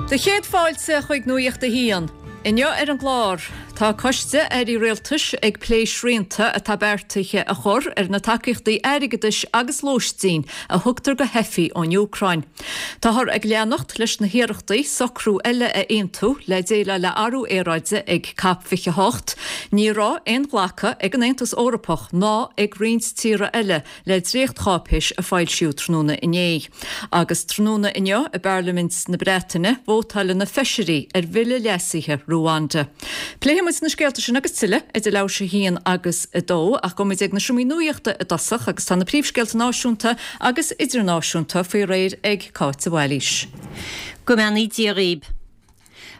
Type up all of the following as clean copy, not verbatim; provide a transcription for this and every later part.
Do chéad fáilte chuig Nuacht a hAon. Inniu ar an gclár, tá Coiste Airí Rialtais ag plé srianta atá beartaithe a chur ar na tacaíochtaí airgeadais agus lóistín a thugtar do theifigh ón Úcráin. Táthar ag leanacht leis na hiarrachtaí socrú eile a aontú le déileáil le athrú aeráide ag Cop 28. Ní raibh aon ghlacadh ag an Aontas Eorpach ná ag roinnt tíortha eile le dréachtcháipéis a foilsíodh tráthnóna inné. Agus tráthnóna inniu i bParlaimint na Breataine, vótáilfidh na feisirí ar bhille leasaithe Ruanda. Pléifidh muid na scéalta sin agus tuilleadh idir leathuair tar éis a haon agus a dó, ach gabhfaidh muid ag na seomraí nuachta i dtosach agus tá na príomhscéalta náisiúnta agus idirnáisiúnta faoi réir ag Cáit de Bhailís. Go mbeannaí Dia dhaoib.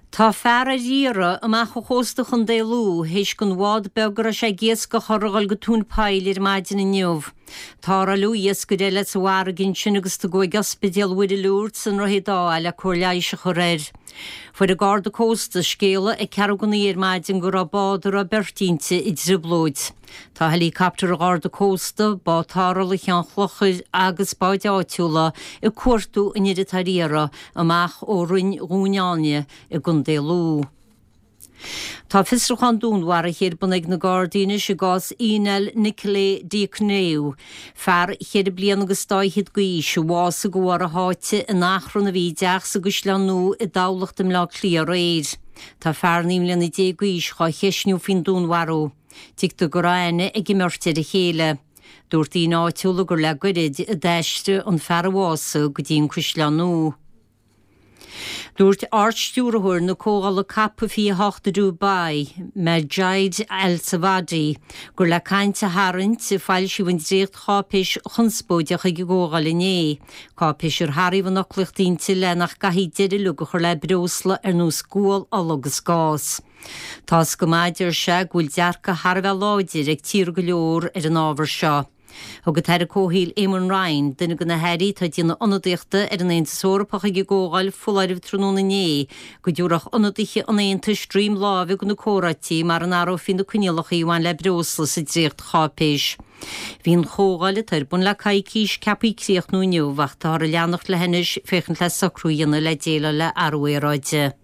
Tá fear ar iarraidh amach ó chósta Chontae Lú théis don bhád beag a raibh sé ag iascach air a dhul go tóin poill ar maidin inniu. Tarrtháladh iascaire eile sa bhfarraige ansin agus tugadh ag Ospidéal Mhuire Lourdes i nDroichead Átha é le cóir leighis a chur air. Fuair an Garda Cósta scéala ag ceathrú go naoi ar maidin go raibh bád a raibh beirt inti i dtrioblóid. Tá helicopter an Gharda Cósta, bád tarrthála Cheann Chlochair agus báid áitiúla ag cuartú an fhir atá ar iarraidh amach ó Rinn Dhún Áilne i gContae Lú. Tá fiosrúchán dúnmharaithe ar bun ag na Gardaí anois i gcás Ionel Nicolae Diaconescu, fear cheithre bliana agus dá fhichead d'aois, a bhásaigh de bharr a sháite in achrann a bhí i dteach sa gCaisleán Nua i dTamhlacht i mBleá Cliath aréir. Tá fear 19 mbliana d'aois dhá cheistniú faoin dúnmharú. Tuigtear go raibh aithne ag an mbeirt ar a chéile. Dúirt daoine áitiúla gur le goirid a d'aistrigh an fear a bhásaigh go dtí an Caisleán Nua. Dúirt Ard-Stiúrthóir na Comhdhála Cop 28 i Dubai, Majid Al Thawadi, gur le caint a tharraingt a foilsíodh an dréacht-cháipéis chonspóideach ag an gcomhdháil inné, cáipéis ar sáraíodh an fhoclaíocht inti le nach gcaithfí deireadh uilig a chur le breosla ar nós gual, ola agus gás. Tá's go maith, a deir sé, go bhfuil dearcadh thar a bheith láidir ag tíortha go leor ar an ábhar seo. Thug an tAire Comhshaoil Eamon Ryan, duine de na hairí atá ag déanamh ionadaíochta ar an Aontas Eorpach ag an gcomhdháil, foláireamh tráthnóna inné go dtabharfadh ionadaithe an Aontais droim láimhe do na comhráití mara n-athrófaí na coinníollacha a bhain le breosla sa dréachtcháipéis. Bhí an chomhdháil, atá ar bun le coicís, ceaptha críochnú inniu ach táthar ag leanacht léi anois féachaint le socrú a dhéanamh le déileáil le athrú aeráide.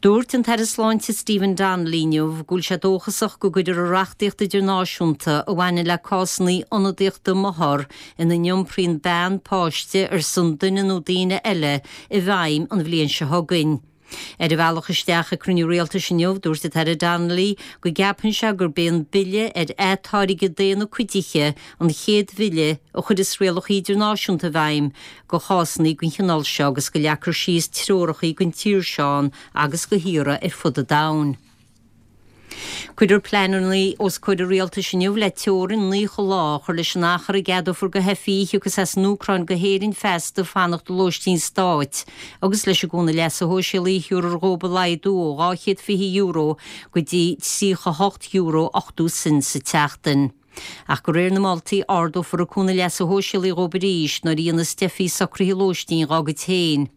Dúirt an tAire Sláinte Stephen Donnelly inniu go bhfuil sé dóchasach go gcuirfear an reachtaíocht idirnáisiúnta a bhaineann le cásanna ionadaíochta máthar ina n-iompraíonn bean páiste ar son duine nó daoine eile i bhfeidhm an bhliain seo chugainn. Ar a bhealach isteach ag cruinniú rialtais inniu, dúirt an tAire Donnelly go gceapann sé gurb é an Bille ar Atáirgeadh Daonna Cuidithe an chéad bhille a chuirfeas rialacha idirnáisiúnta i bhfeidhm do chásanna den chineál seo agus go leagfar síos treoracha don tír seo ann agus do thíortha ar fud an domhain. Cuirfear pleananna os comhair an Rialtais inniu le teorainn 90 lá a chur leis an achar a gceadófar do theifigh a thiocfas as an Úcráin go hÉirinn feasta fanacht i lóistín stáit agus leis an gcúnamh leasa shóisialaigh a thiúrfar dhóibh a laghdú ó €220 go dtí €38 80 sint sa tseachtain. Ach de réir na moltaí, ardófar an cúnamh leasa shóisialaigh dhóibh arís nuair a dhéanfas teifigh socruithe lóistín dhá gcuid féin.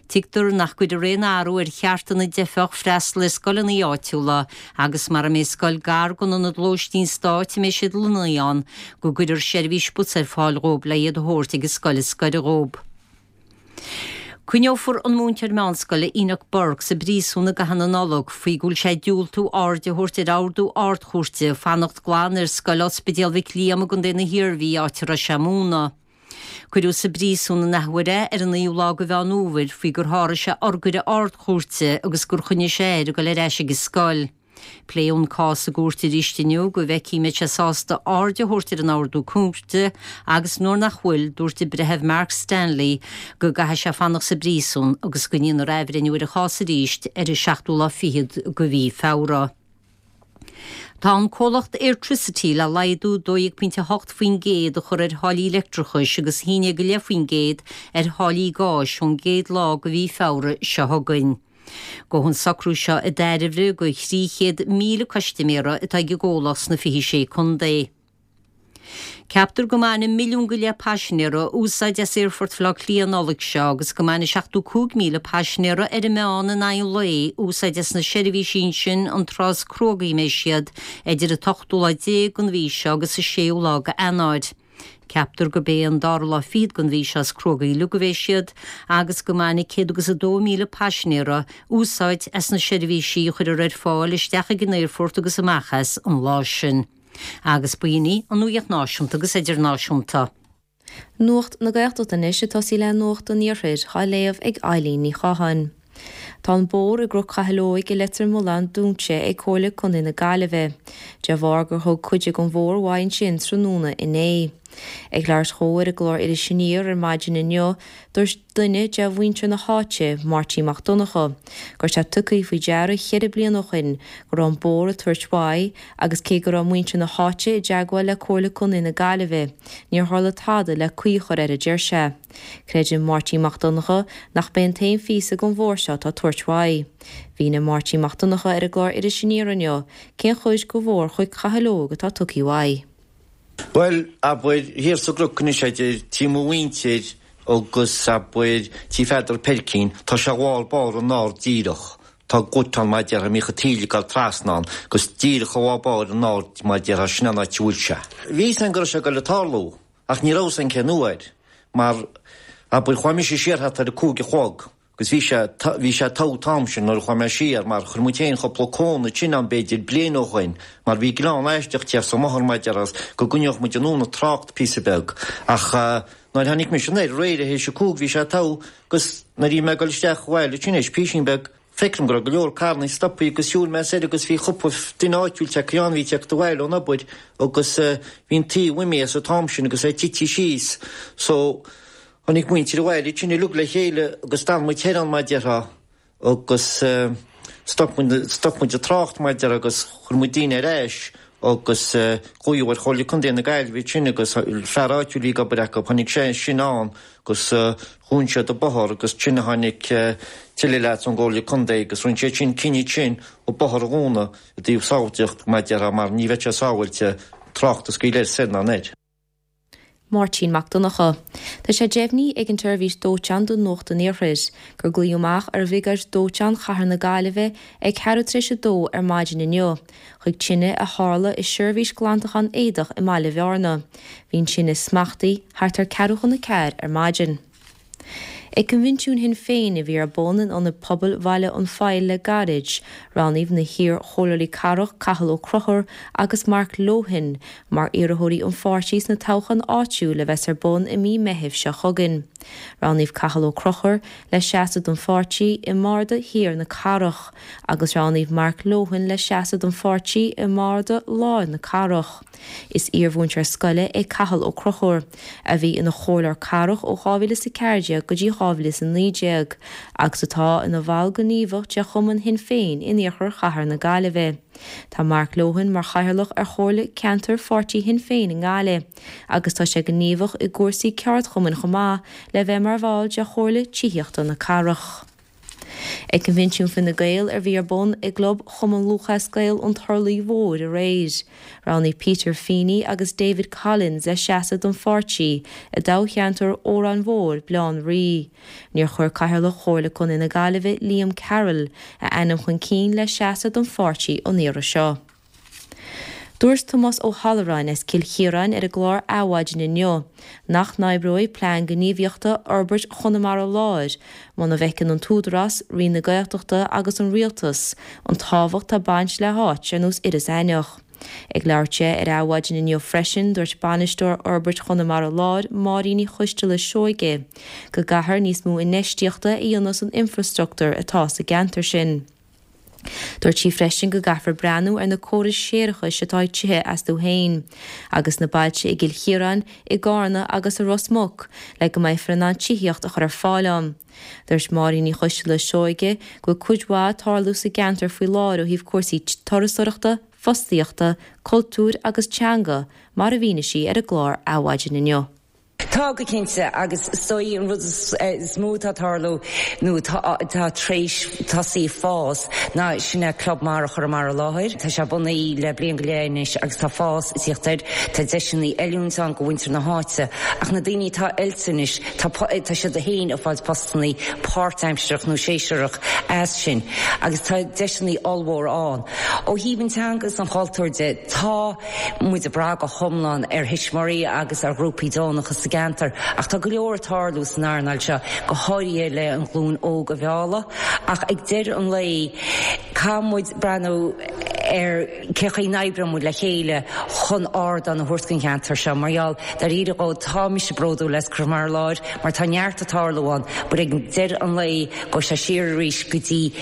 Tuigtear nach gcuirfear aon athrú ar chearta na dteifeach freastal ar scoileanna áitiúla agus mara mbeidh scoil gar don ionad lóistín stáit a mbeidh siad lonnaithe ann, go gcuirfear seirbhís bus ar fáil dhóibh le iad a thabhairt ag an scoil is gaire dhóibh. Coinneofar an múinteoir meánscoile Enoch Burke sa bpríosún i gcaitheamh na Nollag faoi go bhfuil sé ag diúltú aird a thabhairt ar ordú Ard-Chúirte fanacht glan ar scoil Ospidéal Mhic Liam i gContae na hIarmhí áit a raibh sé ag múineadh. Cuireadh sa bpríosún an athuair é ar an naoú lá de Mheán Fhómhair faoi gur sháraigh sé urghaire Ard-Chúirte agus gur choinnigh sé air ag dul ar ais ag an scoil. Pléadh an cás i gcúirt arís inniu go bhfeicfí an mbeidh sé sásta aird a thabhairt ar an ordú cúirte agus nuair nach bhfuil, dúirt an Breitheamh Mark Stanley go gcaithfidh sé fanacht sa bpríosún agus go ndéanfar athbhreithniú ar an chás arís ar an seachtú lá fichead de mhí Feabhra. Tá an comhlacht Airtricity le laghdú 12.8% a chur ar tháillí leictreachais agus 11.5% ar tháillí gáis ón gcéad lá de mhí Feabhra seo chugainn. Gabhfaidh an socrú seo i dtairbhe do 300,000 custaiméara atá ag an gcomhlacht sna 26 contae. Ceaptar go mbainfidh milliún go leith paisinéara úsáid as Aerfort Bhaile Átha Cliath an Nollaig seo agus go mbainfidh 75,000 paisinéara ar an meán in aghaidh an lae úsáid as na seirbhísí ansin an tráth is cruógaí a mbeidh siad, idir an t-ochtú lá déag den mhí seo agus an séú lá d'Eanáir. Ceaptar gurb é an dara lá fichead den mhí seo as Cruógaí uilig a bheidh siad agus go mbainfidh 102,000 paisinéara úsáid as na seirbhísí a chuirfear ar fáil isteach ag an aerfort agus amach as an lá sin. Agus b'in í an nuacht náisiúnta agus idirnáisiúnta. Nuacht na Gaeltachta anois ag tosaí le Nuacht an Iarthair á léamh ag Eilín Ní Chatháin. Tá an bóthar i gCnoc Chathail Óig i Leitir Mealláin dúnta ag Comhairle Contae na Gaillimhe de bharr gur thug cuid den bhóthar uaidh ansin tráthnóna inné. Ag labhairt dhó ar an gclár Iris Aniar ar maidin inniu, dúirt duine de mhuintir na háite, Máirtín Mac Donncha, go raibh sé tugtha faoi deara cheithre bliana ó shin go raibh an bóthar ag tabhairt uaidh agus cé go raibh muintir na háite i dteagmháil le Comhairle Contae na Gaillimhe, níor tharla tada le caoi a chur air a deir sé. Creideann Máirtín Mac Donncha nach b'é an t-aon phíosa den bhóthar seo atá ag tabhairt uaidh. Mhínigh Máirtín Mac Donncha ar an gclár Iris Aniar inniu cén chuid de bhóthar Chnoic Chathail Óig atá tugtha uaidh. Bhuel, abair, thiar sa gcnoc anois idir tí mo mhuintir agus, abair, tí Pheadar Peircín, tá sé i lár báire an-ard díreach. Tá gut ann mar a déarfá, a mbíodh an taoille ag dul trasna ann, agus díreach i lár báire an-ard mar a déarfá, sin an áit a bhfuil sé. Bhí fhios a'inn go raibh sé ag dul ag tarlú. Ach ní raibh fhios a'inn cén uair, mar, abair, chuaigh mise siar thart ar a 5 a chlog, agus bhí sé, bhí sé togha an t-am sin nuair a chuaigh mé siar, mar chuir muid féin cúpla cón ansin ann b'fhéidir bliain ó shoin, mar bhí gleann aisteach thiar sa mbóthar mar a déarfá agus go gcoinneodh muid anonn an trácht píosa beag. Ach nuair a tháinig mise anoir aréir théis a 5 bhí sé togha agus nuair a bhí mé ag dul isteach abhaile ansin théis písín beag, Feicim go raibh go leor carrannaí stopthaí agus shiúil mé soir agus bhí cúpla duine áitiúil tagtha ann, bhí ag teacht abhaile ón obair agus bhí an taobh imithe as an t-am sin agus é tite síos. So, tháinig muintir an bhaile ansin uilig le chéile agus d'fhan muid thoir ann mar a déarfá agus stop muid, stop muid an trácht mar a déarfá agus chuir muid daoine ar ais agus glaodh ar Chomhairle Contae na Gaillimhe ansin agus fear áitiúil a bhí ag obair acu, tháinig sé sin ann agus dhún siad an bóthar agus ansin a tháinig tuilleadh leaids ón gComhairle Contae agus rinne siad sin cinneadh ansin an bóthar a dhúnadh i dtaobh sábháilteacht mar a déarfá mar ní bheadh sé sábháilte trácht a scaoileadh soir ná anoir. Máirtín Mac Donncha. Tá sé deimhnithe ag an tseirbhís dóiteáin do Nuacht an Iarthair gur glaodh amach ar Bhriogáid Dóiteáin Chathair na Gaillimhe ag ceathrú tar éis a dó ar maidin inniu chuig tine a tharla i seirbhís glantachán éadach i mBaile Bhearna. Bhí an tine smachtaithe thart ar ceathrú chun a ceathair ar maidin. Ag Coinbhinsiún Shinn Féin a bhí ar bun in Ionad Pobail Bhaile an Phoill le gairid, roghnaíodh na hiar-chomhairleoirí cathrach Cathal Ó Conchúir agus Mark Lohan mar iarrthóirí an pháirtí sna toghcháin áitiúil a bheas ar bun i mí Meithimh seo chugainn. Roghnaíodh Cathal Ó Conchúir le seasamh don pháirtí i mbarda Thiar na Cathrach agus roghnaíodh Mark Lohan le seasamh don pháirtí i mbarda Láir na Cathrach. Is iarmhúinteoir scoile é Cathal Ó Conchúir, a bhí ina chomhairleoir cathrach ó 2014 go dtí 2019, agus atá ina bhall gníomhach de Chumann Shinn Féin in iarthar chathair na Gaillimhe. Tá Mark Lohan mar chathaoirleach ar Chomhairle Ceantair Pháirtí Shinn Féin i nGaillimh, agus tá sé gníomhach i gcúrsaí ceardchumainn chomh maith le bheith mar bhall de Chomhairle Tithíochta na Cathrach. Ag Coinbhinsiún Fine Gael a bhí ar bun i gClub Chumann Lúthchleas Gael an Turlaigh Mhóir aréir, roghnaíodh Peter Feeney agus David Collins le seasamh don pháirtí i dtoghcheantar Órán Mhór, Baile Átha an Rí. Níor chuir Cathaoirleach Chomhairle Contae na Gaillimhe, Liam Carroll, a ainm chun cinn le seasamh don pháirtí an iarraidh seo. Dúirt Tomás Ó hAlluráin as Cill Chiaráin ar an gclár Adhmhaidin inniu nach n-oibreoidh Plean Gníomhaíochta Fhorbairt Chonamara Láir muna bhfeiceann an tÚdarás, Roinn na Gaeltachta agus an Rialtas an tábhacht tá baint le háit ar nós Iorras Aithneach. Ag labhairt di ar Adhmhaidin inniu freisin, dúirt Bainisteoir Fhorbairt Chonamara Láir, Máirín Ní Choisteala Seoige, go gcaithfear níos mó infheistíochta a dhéanamh san infreastruchtúr atá sa gceantar sin. Dúirt sí freisin go gcaithfear breathnú ar na córais séarachais atá ag tithe astu féin, agus na bailte i gCill Chiaráin, i gCarna agus i Ros Muc le go mbeifear in ann tithíocht a chur ar fáil ann. Dúirt Máirín Ní Choisteala Seoige go bhfuil cuid mhaith ag tarlú sa gceantar faoi láthair ó thaobh cúrsaí turasóireachta, fostaíochta, cultúir agus teanga, mar a mhínigh sí ar an gclár Adhmhaidin inniu. Tá, go cinnte, agus is dóigh an rud is mó atá ag tarlú nó atá tar éis tosaí ag fás ná sin é Club Mara Chonamara Láir. Tá sé bunaithe le bliain go leith anois agus tá fás ag tíocht air. Tá deiseanna oiliúint ann go mhuintir na háite ach na daoine atá oilte anois tá tá siad féin ag fáilt postannaí páirtaimsearach nó séasúrach as sin agus tá deiseanna ollmhór ann. Ó thaobh an teanga is an chultúir de, tá muid ag brath go hiomlán ar thuismitheoirí agus ar ghrúpaí deonacha sa gceantar ach tá go leor ag tarlú san earnáil seo, go háirithe le an ghlúin óg a mhealladh. Ach ag deireadh an lae, caithfidh muid breathnú ar cé chaoi n-oibreoidh muid le chéile chun ardán a thabhairt don cheantar seo mar gheall, dáiríre dhó, tá mise bródúil as Conamara Láir mar tá neart ag tarlú ann but ag deireadh an lae, gabhfaidh sé siar arís go dtí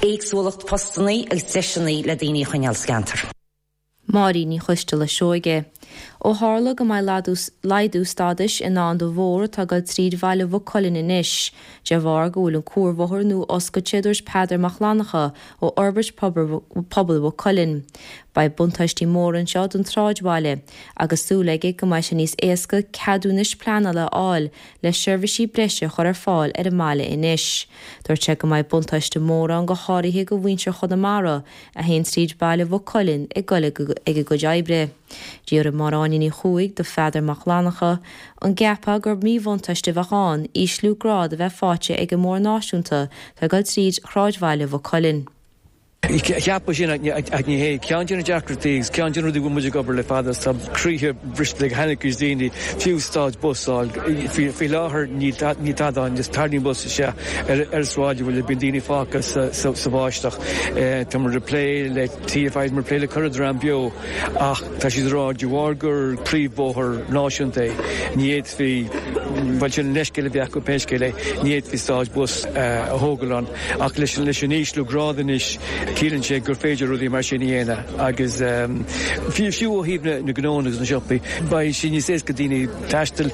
éagsúlacht postannaí agus deiseanna le daoine a choinneáil sa gceantar. Máirín Ní Choisteala Seoige. Ó tharla go mbeidh laghdú stádais i ndán do bhóthar atá ag dul tríd bhaile Mhaigh Cuilinn anois, de bharr go bhfuil an cuarbhóthar nua oscailte, a dúirt Peadar Mac Fhlannchadha ó Fhorbairt Pobail Mhaigh Cuilinn. Beidh buntáistí móra anseo don tsráidbhaile, agus súil aige go mbeidh sé níos éasca ceadúnais pleanála a fháil le seirbhísí breise a chur ar fáil ar an mbaile anois. Dúirt sé go mbeidh buntáiste mór ann go háirithe do mhuintir Chonamara a théann tríd baile Mhaigh Cuilinn ag goil ag a gcuid oibre. D'fhiafraigh Máire Áine Ní Chuaig de Pheadar Mac Fhlannchadha an gceapfá gur míbhuntáiste a bheadh ann ísliú grád a bheith faighte ag an mbóthar náisiúnta atá ag dul tríd shráidbhaile Mhaigh Cuilinn. Cheapfá sin ach ní hé. Ceann de na deacrachtaí agus ceann de na rudaí a bhfuil muid ag obair le fada is tá croíthe briste ag an-chuid daoine, fiú stad bus a fháil. Faoi láthair níl tada ann, just tarraingíonn bus isteach ar an sráidbhaile, bíonn daoine fágtha sa bháisteach. Tá muid ag plé le TFI, tá muid ag plé le corr dream beo ach tá siad ag rá de bharr gur príomhbhóthar náisiúnta é, ní fhéadfaí, bhuel sin an leithscéal a bhí acu pé scéal é, ní fhéadfaí stad bus a thógáil ann. Ach leis an ísliú grád anois, ciallaíonn sé gur féidir rudaí mar sin a dhéanamh agus fiú ó thaobh na ngnónna agus na siopaí, beidh sé níos éasca daoine taisteal,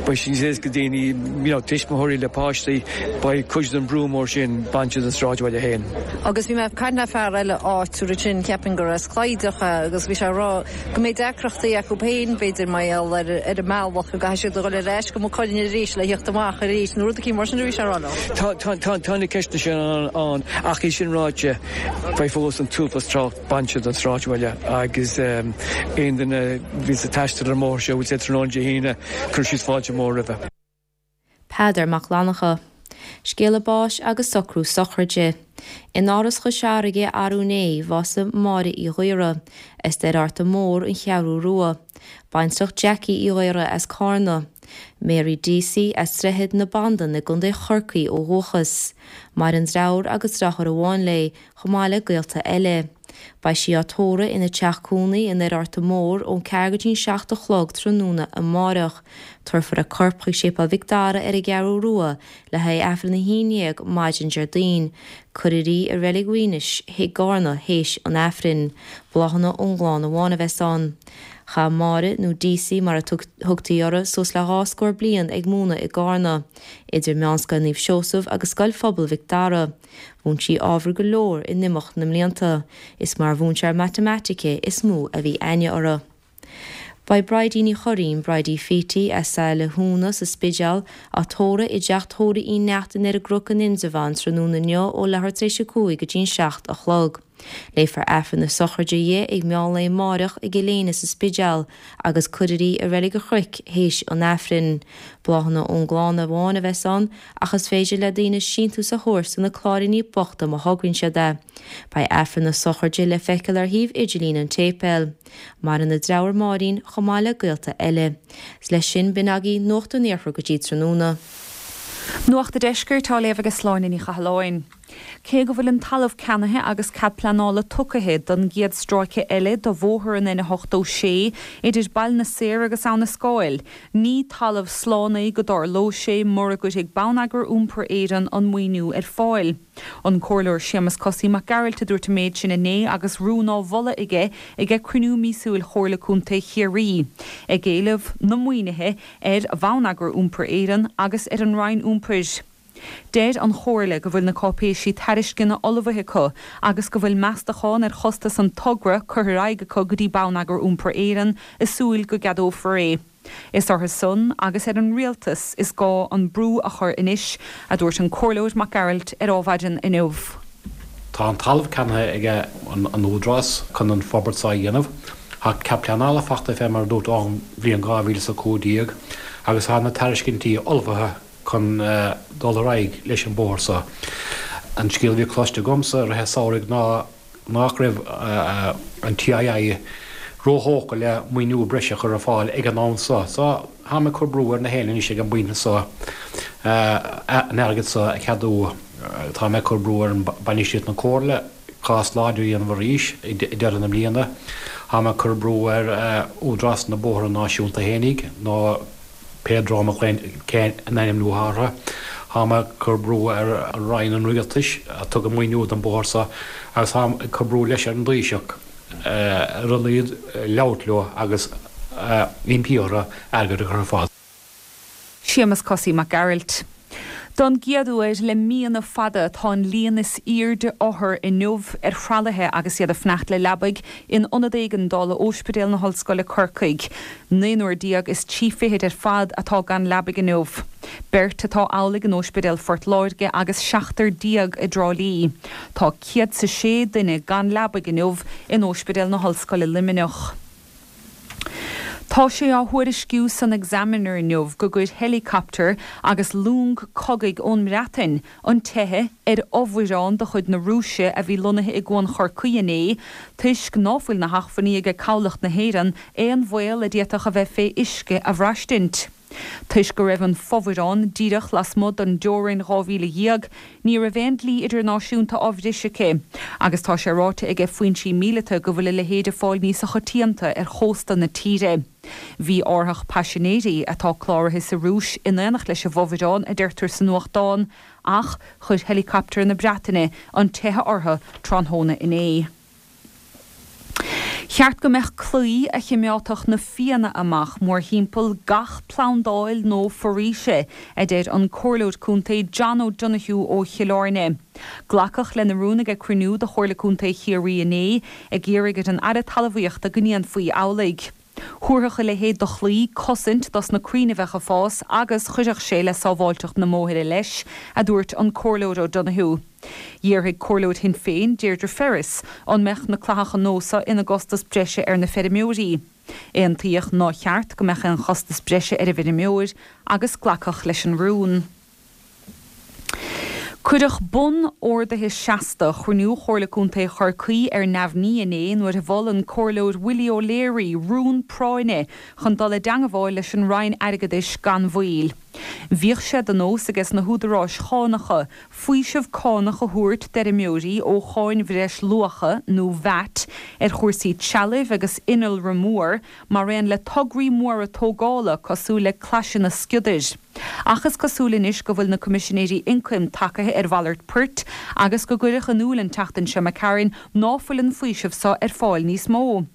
beidh sé níos éasca daoine, you know, tuismitheoirí le páistí, beidh cuid den brú mór sin bainte den sráidbhaile féin. Agus bhí mé ag caint le fear eile áitiúil ansin, cheapfainn gur as Clydach é, agus bhí sé ag rá go mbeidh deacrachtaí acu féin, b'fhéidir, mar gheall ar an mbealach go gcaithfidh siad a dhul ar ais go Maigh Cuilinn arís le theacht amach arís, nó rud eicínt mar sin a bhí sé a rá liom. Tá, tá, tá, tá na ceisteanna sin ann, ach é sin ráite, beidh fós an t-uafás trácht bainte den sráidbhaile agus aon duine a bhíonns ag taisteal ar an mbóthar seo, bhfuil sé tráthnóna Dé hAoine, cuirfidh siad fáilte mhór roimhe. Peadar Mac Fhlannchadha. Scéala báis agus socrú sochraide. In Áras Chois Fharraige arú inné, bhásaigh Máire Uí Ghaora, as Doire Fhearta Mór, An Cheathrú Rua. Baintreach Jackie Uí Ghaora as Cárna. Mary Deasy as Droichead na Bandan i gContae Chorcaí ó dhúchas. Maireann deartháir agus deartháir amháin léi, chomh maith le gaolta eile. Beidh sí á tórramh ina teach cónaí i nDoire Fhearta Mór ón ceathair go dtí'n 7 a chlog tráthnóna amáireach. Tabharfar a corp chuig Séipéal Mhic Dara ar an gCeathrú Rua le haghaidh Aifreann a 11 maidin Déardaoin. Cuirfear í i Reilig Mhaínis i gCárna théis an Aifrinn. Bláthanna ón gclann amháin a bheas ann. Chaith Máire, nó Deasy mar a thugtaí uirthi, suas le dhá scór bliain ag múineadh i gCárna, idir Meánscoil Naomh Seosamh agus Scoil Phobail Mhic Dara. Mhúin sí ábhair go leor in imeacht na mblianta. Is mar mhúinteoir matamaitice is mó a bhí aithne uirthi. Beidh Bridie Ní Churraoin, Bridie Phítí, as Saile Thúna sa Spidéal, á tórramh i dteach tórraimh Uí Neachtain ar an gCnoc in Indreabhán tráthnóna inniu ó leathuair tar éis a 5 go dtí'n 7 a chlog. Léifear Aifreann na sochraide dhi ag meán lae amáireach i gCill Éinne sa Spidéal agus cuirfear í i Reilig an Chnoic théis an Aifrinn. Bláthanna ón gclann amháin a bheas ann ach is féidir le daoine síntiús a thabhairt do na Cláiríní Bochta má thograíonn siad é. Beidh Aifreann na sochraide le feiceáil ar shuíomh idirlín an tséipéil. Maireann a deartháir Máirín chomh maith le gaolta eile. 'S leis sin b'in agaibh Nuacht an Iarthair go dtí tráthnóna. Nuacht an Deiscirt á léamh ag Sláine Ní Chathalláin. Cé go bhfuil an talamh ceannaithe agus cead pleanála tucaithe don gcéad stráice eile de bhóthar an N86 idir Baile na Saor agus Abha na Scáil, ní talamh slán é go dtarlóidh sé mura gcuirfidh Bonneagar Iompair Éireann an maoiniú ar fáil. An Comhairleoir Séamus Cosaí Mac Gearailt a dúirt an méid sin inné agus rún á mholadh aige ag cruinniú míosúil Chomhairle Contae Chiarraí, ag éileamh na maoinithe ar Bhonneagar Iompair Éireann agus ar an Roinn Iompair. Deir an Chomhairle go bhfuil na cáipéisí tairisceana ullmhaithe acu agus go bhfuil meastachán ar chostas an togra curtha ar aghaidh acu go dtí Bonneagar Iompair Éireann i súil go gceadófar é. Is orthu san agus ar an rialtas is gá an brú a chur anois, a dúirt an Comhairleoir Mac Gearailt ar Adhmhaidin inniu. Tá an talamh ceannaithe ag an Údarás chun an forbairt seo a dhéanamh. Tá cead pleanála fachta fé mar a dúirt ón bhliain 2015 agus tá na tairiscintí ullmhaithe chun dul ar aghaidh leis an bóthar seo. An scéal a bhí cloiste agamsa i rith an samhraidh ná nach raibh an TII róthógtha le maoiniú breise a chur ar fáil ag an am seo. So, táim ag cur brú ar na héinne anois ag an bpointe seo an airgead seo a cheadú. Táim ag cur brú ar bainistíocht na Comhairle cás láidir a dhéanamh arís ag deireadh na bliana. Táim ag cur brú ar Údarás na Bóithre Náisiúnta fhéinig nó pé dream a ghlaonn cén ainm atá orthu. Táim ag cur brú ar Roinn an Rialtais a thug an maoiniú don bóthar seo agus táim ag cur brú leis ar an dTaoiseach ar a laghad labhairt leo agus impí orthu airgead a chur ar fáil. Séamus Cosaí Mac Gearailt. Don gcéad uair le míonna fada tá an líon is aoirde othar inniu ar thralaithe agus iad ag fanacht le leabaidh in Ionad Éigeandála Óispidéal na hOllscoile Corcaigh. Naonúr déag is 30 ar fad atá gan leabaidh inniu. Beirt atá amhlaidh in Óispidéal Phort Láirge agus seachtar déag i dTrá Lí. Tá 106 duine gan leabaidh inniu in Óispidéal na hOllscoile Luimneach. Tá sé á thuairisciú san Examiner inniu go gcuir helicopter agus long cogaidh ón mBreatain an teitheadh ar fhomhuireán de chuid na Rúise a bhí lonnaithe i gCuan Chorcaí inné toisc ná fuil na hachmhainní aige Cabhlach na hÉireann aon bhaol a d'fhéadfadh a bheith fé uisce a bhraistint. Toisc go raibh an fomhuireán díreach lasmuigh den dteorainn 12 mhíle, ní raibh aon dlí idirnáisiúnta á bhris aici, agus tá sé ráite aige foinsí míleata go bhfuil a leithéid ag fáil níosa choitianta ar chósta na tíre. Bhí árthach paisinéirí, atá cláraithe sa Rúis, in aonacht leis an bhfomhuireán, a deirtear sa nuachtán, ach chuir helicopter na Breataine an teitheadh orthu tráthnóna inné. Cheart go mbeadh claí a chimeádfadh na fianna amach mórthimpeall gach plandáil nó foraoise, a deir an Comhairleoir Contae John O'Donoghue ó Chill Airne. Glacadh lena rún ag cruinniú de Chomhairle Contae Chiarraí inné, ag iarraidh ar an Aire Talmhaíochta go ndéanfaí amhlaidh. Thabharfadh a leithéid de chlaí cosaint dos na crainn a bheadh ag fás agus chuirfeadh sé le sábháilteacht na mbóithre leis, a dúirt an Comhairleoir O'Donoghue. D'fhiafraigh Comhairleoir Shinn Féin, Deirdre Ferris, an mbeadh na clathacha nua seo ina gcostas breise ar na feirmeoirí. Aontaíodh nár cheart go mbeadh aon chostas breise ar an bhfeirmeoir agus glacadh leis an rún. Cuireadh bun ordaithe seasta chruinniú Chomhairle Contae Chorcaí ar neamhní inné nuair a mhol an Comhairleoir Willie O'Leary rún práinne chun dul i dteangabháil leis an Roinn Airgeadais gan mhoill. Bhíodh sé de nós ages na húdaráis chánacha faoiseamh cánach a thabhairt d'fheirmeoirí ó cháin bhreis luacha nó VAT ar chúrsaí trealaimh agus innealra mór mar aon le tograí móra tógála cosúil le claiseanna sciodair. Ach is cosúil anois go bhfuil na Coimisinéirí Ioncaim tacaithe ar mhalairt poirt agus go gcuireadh in iúil an tseachtain seo imigh tharainn ná fuil an faoiseamh so ar fáil níos mó.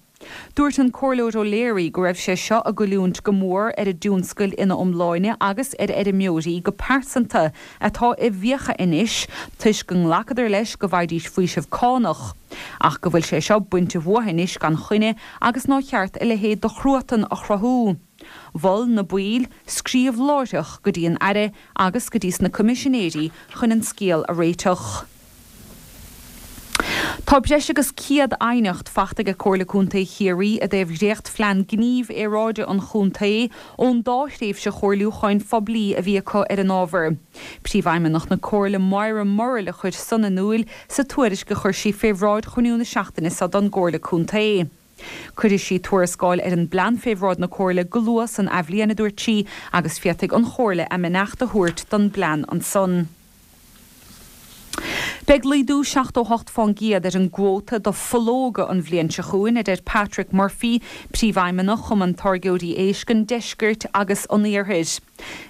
Dúirt an Comhairleoir O'Leary go raibh sé seo ag goilliúint go mór ar an dtionscail ina iomláine agus ar fheirmeoirí go pearsanta atá i bhfiacha anois toisc go nglacadar leis go bhfaighidís faoiseamh cánach ach go bhfuil sé seo bainte uathu anois gan choinne agus nár cheart a leithéid de chruatan a chruthú. Mhol na baill scríobh láithreach go dtí an Aire agus go dtí sna Coimisinéirí chun an scéal a réiteach. Tá breis agus 100 aighneacht fachta ag Comhairle Contae Chiarraí i dtaobh dhréachtphlean gnímh aeráide an chontae ón dá thréimhse chomhairliúcháin phoiblí a bhí acu ar an ábhar. Príomhfheidhmeannach na Comhairle Moira Murrell a chuir san in iúil sa tuairisc a chuir sí fé bhráid chruinniú na seachtaine seo don gComhairle Contae. Cuirfidh sí tuarascáil ar an bplean fé bhráid na Comhairle go luath san athbhliain, a dúirt sí, agus féadfaidh an Chomhairle a mbeannacht a thabhairt don bplean ansan. Beidh laghdú 78 fán gcéad ar an gcuóta do phológa an bhliain seo chugainn, a deir Patrick Murphy, Príomhfheidhmeannach Chumann Táirgeoirí Éisc an Deiscirt agus an Iarthair.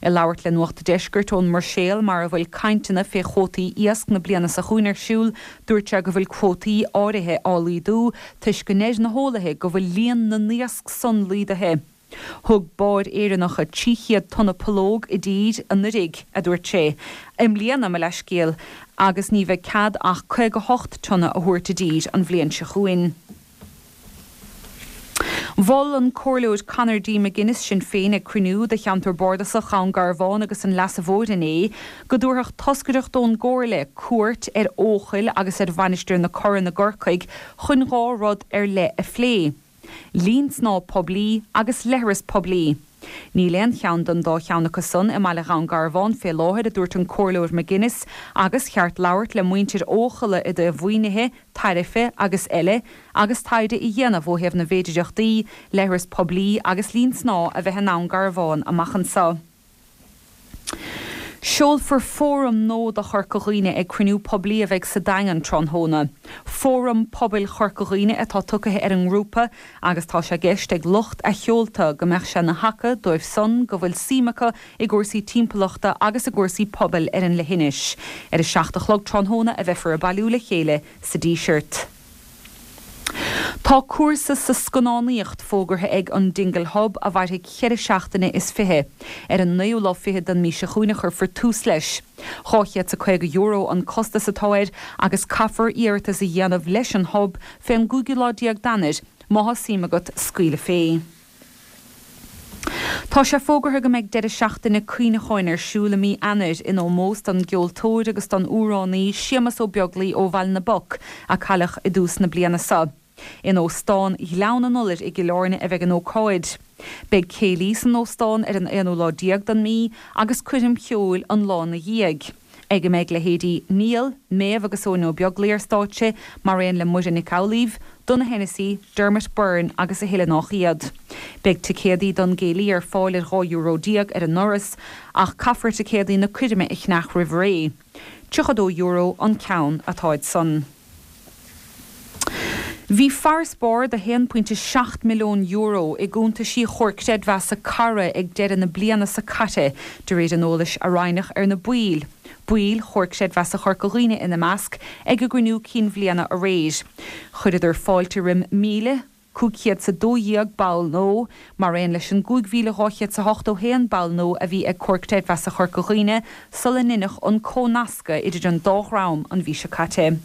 Ag labhairt le Nuacht an Deiscirt ón mBruiséil mar a bhfuil cainteanna fé chuótaí iasc na bliana seo chugainn ar siúl, dúirt sé go bhfuil cuótaí áirithe á laghdú toisc go ndeir na heolaithe go bhfuil líon na n-iasc san laghdaithe. Thug báid Éireannacha 300 tonna pollóg i dtír anuraidh, a dúirt sé. I mbliana, mo leithscéal, agus ní bheidh cead ach 58 tonna a thabhairt i dtír an bhliain seo chugainn. Mhol an Comhairleoir Conor D. McGuinness, Sinn Féin, ag cruinniú de cheantar bardasach Dhún Garbhán agus an Leasa Mhóir inné, go dtabharfadh toscaireacht ón gComhairle cuairt ar Eochaill agus ar Mhainistir na Corann i gCorcaigh chun 2 rud ar leith a phlé, linn snámha poiblí agus leithreas poiblí. Níl aon cheann den dá cheann acu san i mbaile Dhún Garbhán fé láthair, a dúirt an Comhairleoir McGuinness, agus cheart labhairt le muintir Eochaille i dtaobh mhaoinithe, tairife agus eile, agus taighde a dhéanamh ó thaobh na bhféidireachtaí, leithreas poiblí agus linn snámha a bheith i nDún Garbhán amach anso. Seolfar fóram nua do Chorca Dhuibhne ag cruinniú poiblí a bheidh sa Daingean tráthnóna. Fóram Pobail Chorca Dhuibhne atá tugtha ar an ngrúpa agus tá sé i gceist ag lucht a sheolta go mbeadh sé ina thaca dóibh san go bhfuil suim acu i gcúrsaí timpeallachta agus i gcúrsaí pobail ar an leithinis. Ar a 7 a chlog tráthnóna a bheifear ag bailiú le chéile sa Díseart. Tá cúrsa sa scannánaíocht fógartha ag an Dingle Hub a mhairfidh cheithre seachtaine is fiche. Ar an naoú lá fichead den mhí seo chugainn a chuirfear tús leis. €250 an costas atá air agus caithfear iarratas a dhéanamh leis an Hub fén gcúigiú lá déag d'Eanáir má thá suim agat scaoileadh fé. Tá sé fógartha go mbeidh deireadh seachtaine cuimhneacháin ar siúl i mí Eanáir in ómós don gceoltóir agus don amhránaí Séamus Ó Beaglaoi ó Bhaile na bPoc, a cailleadh i dtús na bliana seo. In Óstán Ghleann an Iolair i gCill Airne a bheidh an ócáid. Beidh céilí san óstán ar an aonú lá déag den mí agus coirm cheoil an lá ina dhiaidh. ag a mbeidh leithéidí Niall, Méabh agus Eoin Ó Beaglaoi ar stáitse, mar aon le Muireann Nic Amhlaoibh, Donogh Hennessy, Dermot Byrne agus a thuilleadh nách iad. Beidh ticéadaí don gcéilí ar fáil ar €12 euro ar an ndoras, ach caithfear ticéadaí na coirme a cheannach roimh ré. €32 an ceann atáid san. Bhí farasbarr de €1.7 milliún i gcuntaisí Chomhar Creidmheasa Cara ag deireadh na bliana seo caite, de réir an eolais a roinneadh ar na baill, baill Chomhar Creidmheasa Chorca Dhuibhne ina measc, ag a gcruinniú cinn bhliana aréir. Chuireadar fáilte roim 1,512 ball nua, mar aon leis an 5,281 ball nua a bhí ag Comhar Creidmheasa Chorca Dhuibhne sula ndeineadh an comhnascadh idir an dá dhream an mhí seo caite.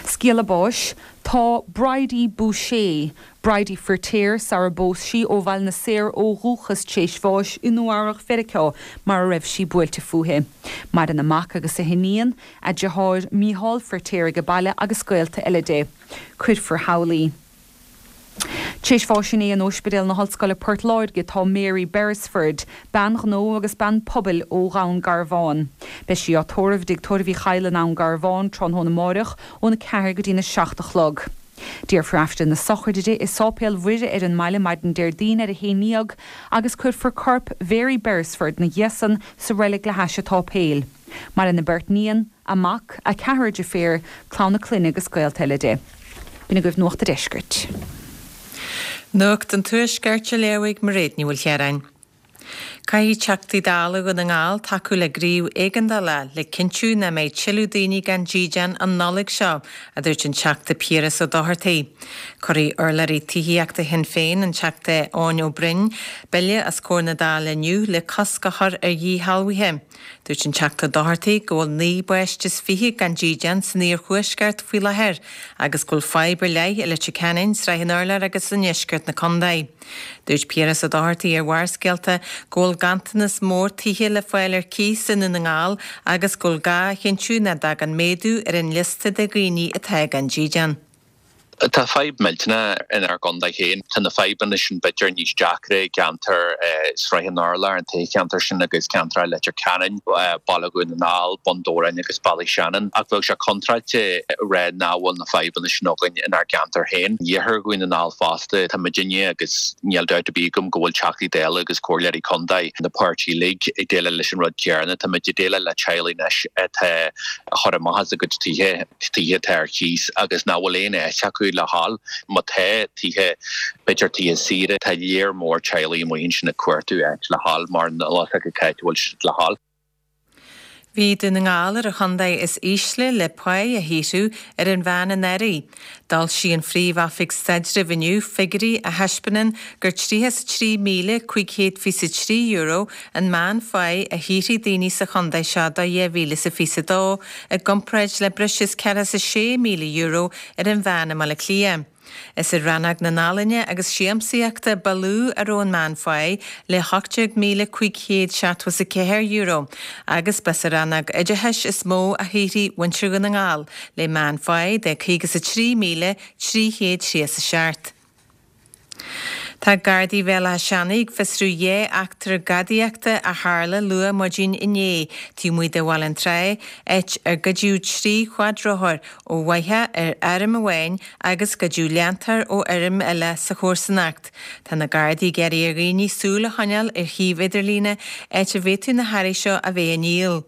Scéala báis, Tá Bridie Boucher, Bridie Firtéar sara bpós sí, ó Bhaile na Saor ó dhúchas tréis bháis i Nua Eabhrac Mheiriceá mar a raibh sí buailte fúithi. Maireann a mac agus a hiníon, a deartháir Mícheál Firtéar age baile agus gaolta eile di. Cuirfear thall í. Tréis bháis inné in Óispidéal na hOllscoile Port Láirge tá Mary Beresford, bean ghnó agus bean pobail ó Dhún Garbhán. Beidh sí á tórramh i dTigh Tórraimh Uí Chadhla i nDún Garbhán tráthnóna amáireach óna 4 go dtína 7 a chlog. Déarfar Aifreann na sochraide di i Sáipéal Mhuire ar an mbaile maidin Déardaoin ar a haon ndéag agus cuirfear corp Mhary Beresford 'na dhiaidh san sa reilig le hais an tsáipéil. Maireann a beirt níon, a mac, a ceathrar deirféar, clann a clainne agus gaolta eile di. B'in agaibh Nuacht a' Deiscirt. Nuacht an Tuaiscirt á léamh ag Mairéad Ní Mhaoilchiaráin. Caithfidh Teachtaí Dála Dhún na nGall tacú le gníomh éigeandála le cinntiú nach mbeidh tuilleadh daoine gan dídean an Nollaig seo, a dúirt an Teachta Piaras Ó Dochartaigh. Cuirfidh urlabhraí tithíochta Shinn Féin, an Teachta Eoin Ó Broin, bille os comhair na Dála inniu le cosc a chur ar dhíshealbhuithe. Dúirt an Teachta Ó Dochartaigh go bhfuil 29 bpáiste gan dídean san iarthuaisceart faoi láthair agus go bhfuil fadhb ar leith i Leitir Ceanainn, Srath an Urláir agus i ndeisceart na contae. Dúirt Piaras Ó Dochartaigh ar Bharrscéalta go bhfuil ganntanas mór tithe le fáil ar cíos i nDún na nGall agus go bhfuil gá a chinntiú nach dtagann méadú ar an liosta de dhaoine atá gan dídean. Tá fadhb millteanach inár gcontae féin. Tá na fadhbanna sin b'fhéidir níos deacra i gceantar Sraith an Urláir, an toghcheantar sin agus ceantar Leitir Ceanainn, Baile Dhún na nGall, Bun Dobhráin agus Ballyshannon. Ach bheadh sé contráilte a rá nach bhfuil na fadhbanna sin againn inár gceantar féin. Iarthar Dhún na nGall fosta, tá muidinne agus níl dabht ar bith agam go bhfuil Teachtaí Dála agus Comhairleoirí Contae na páirtí uilig ag déileáil leis an rud céanna. Tá muid ag déileáil le teaghlaigh anois atá á chur amach as a gcuid tithe. tithe atá ar cíos agus nach bhfuil aon áit acu le dhul. Má tá tithe, b'fhéidir tithe saoire, tá léar mór teaghlaigh amuigh ansin ag cuartú áit le dhul mar níl a fhios acu cá háit a bhfuil siad le dhul. Bhí Dún na nGall ar an chontae is ísle le páigh a shaothrú ar an mheán anuraidh. D'fhoilsigh an Phríomh-Oifig Staidrimh inniu figiúirí a thaispeánann gur €33,523 an meán-pháigh a shaothraigh daoine sa chontae seo do 2022 i gcomparáid le breis is €46,000 ar an mheán i mBaile Átha Cliath. Is i rannóg na n-ealaíne agus siamsaíochta ba lú a raibh an meán-pháigh le €18,574 agus ba sa rannóg oideachais is mó a shaothraigh muintir Dhún na nGall le meán-pháigh de €53,337. Tá Gardaí Bhéal Átha Seanaidh ag fiosrú dhá eachtra gadaíochta a tharla luath maidin inné taobh amuigh de Bhaile an Trá, áit ar goideadh 3 chuadrothar ó bhoitheach ar fheirm amháin agus goideadh leantóir ó fheirm eile sa chomharsanacht. Tá na Gardaí ag iarraidh ar dhaoine súil a choinneáil ar shuíomh idirlíne áit a bhféadfadh na hearraí seo a bheith á ndíol.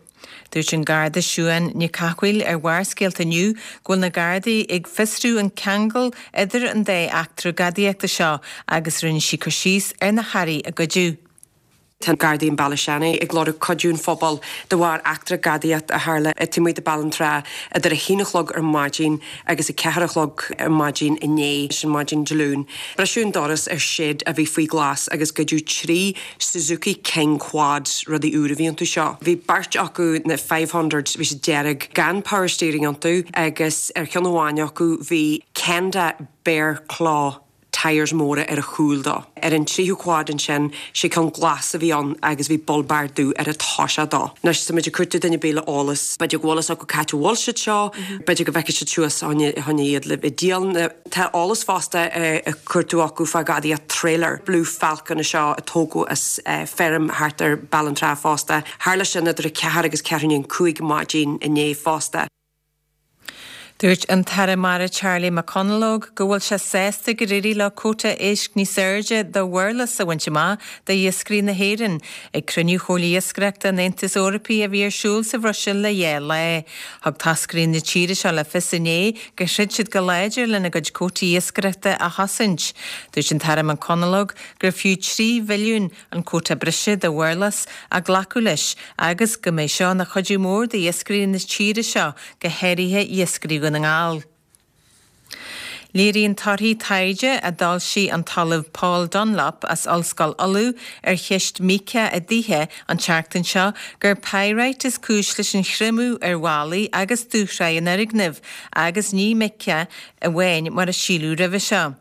Dúirt an Garda Siuán Nic Cathmhaoil ar Bharrscéalta inniu go bhfuil na Gardaí ag fiosrú an ceangal idir an dá eachtra gadaíochta seo agus rinne sí cur síos ar na hearraí a goideadh. Tá Gardaí i mBaile Seanaidh ag lorg cuidiú an phobail de bharr eachtra gadaíocht a tharla taobh amuigh de Baile an Trá idir a haon a chlog ar maidin agus a ceathair a chlog ar maidin inné, sin maidin Dé Luain. Briseadh an doras ar shed a bhí faoi ghlas agus goideadh 3 Suzuki King Quad, rudaí úr a bhí iontu seo. Bhí beirt acu, na 500s, bhí siad dearg, gan power steering iontu agus ar cheann amháin acu bhí Kenda Bear Claw tyres móra ar a chúl dó. Ar an tríú quad ansin, sé ceann glas a bhí ann agus bhí bull bar dubh ar an toiseach dó. Anois, tá muid ag cuartú duine ar bith le eolas. B'fhéidir go bhfuil fhios acu cá háit a bhfuil siad seo, b'fhéidir go bhfeicfidh siad suas fá choinne iad le díol. Tá eolas fosta á chuartú acu fá ghadaíocht trailer Blue Falcon é seo a tógadh as feirm thart ar Baile an Trá fosta. Tharla sin idir 4 agus ceathrú i ndiaidh an 5 maidin inné fosta. Dúirt an tAire Mara Charlie McConalogue go bhfuil sé sásta gur éirigh leo cóta éisc níos airde do mhurlas a bhaint amach d'iascairí na hÉireann ag cruinniú Chomhairle Iascaireachta an Aontais Eorpaigh a bhí ar siúl sa Bhruiséil le dhá lá. Thug toscairí na tíre seo le fios inné gur throid siad go láidir lena gcuid cótaí iascaireachta a chosaint. Dúirt an tAire McConalogue gur fiú 3 bhilliún an cóta breise do mhurlas a glacadh leis agus go mbeidh seo ina chuidiú mór d'iascairí na tíre seo, go háirithe iascairí Dhún na nGall. Léiríonn torthaí taighde a d'fhoilsigh an tOllamh Paul Dunlop as Ollscoil Uladh ar cheist míoca i dtithe an tseachtain seo gur pyrite is cúis leis an chreimeadh ar bhallaí agus dúshraith an fhoirgnimh agus ní míoca amháin mar a síleadh roimhe seo.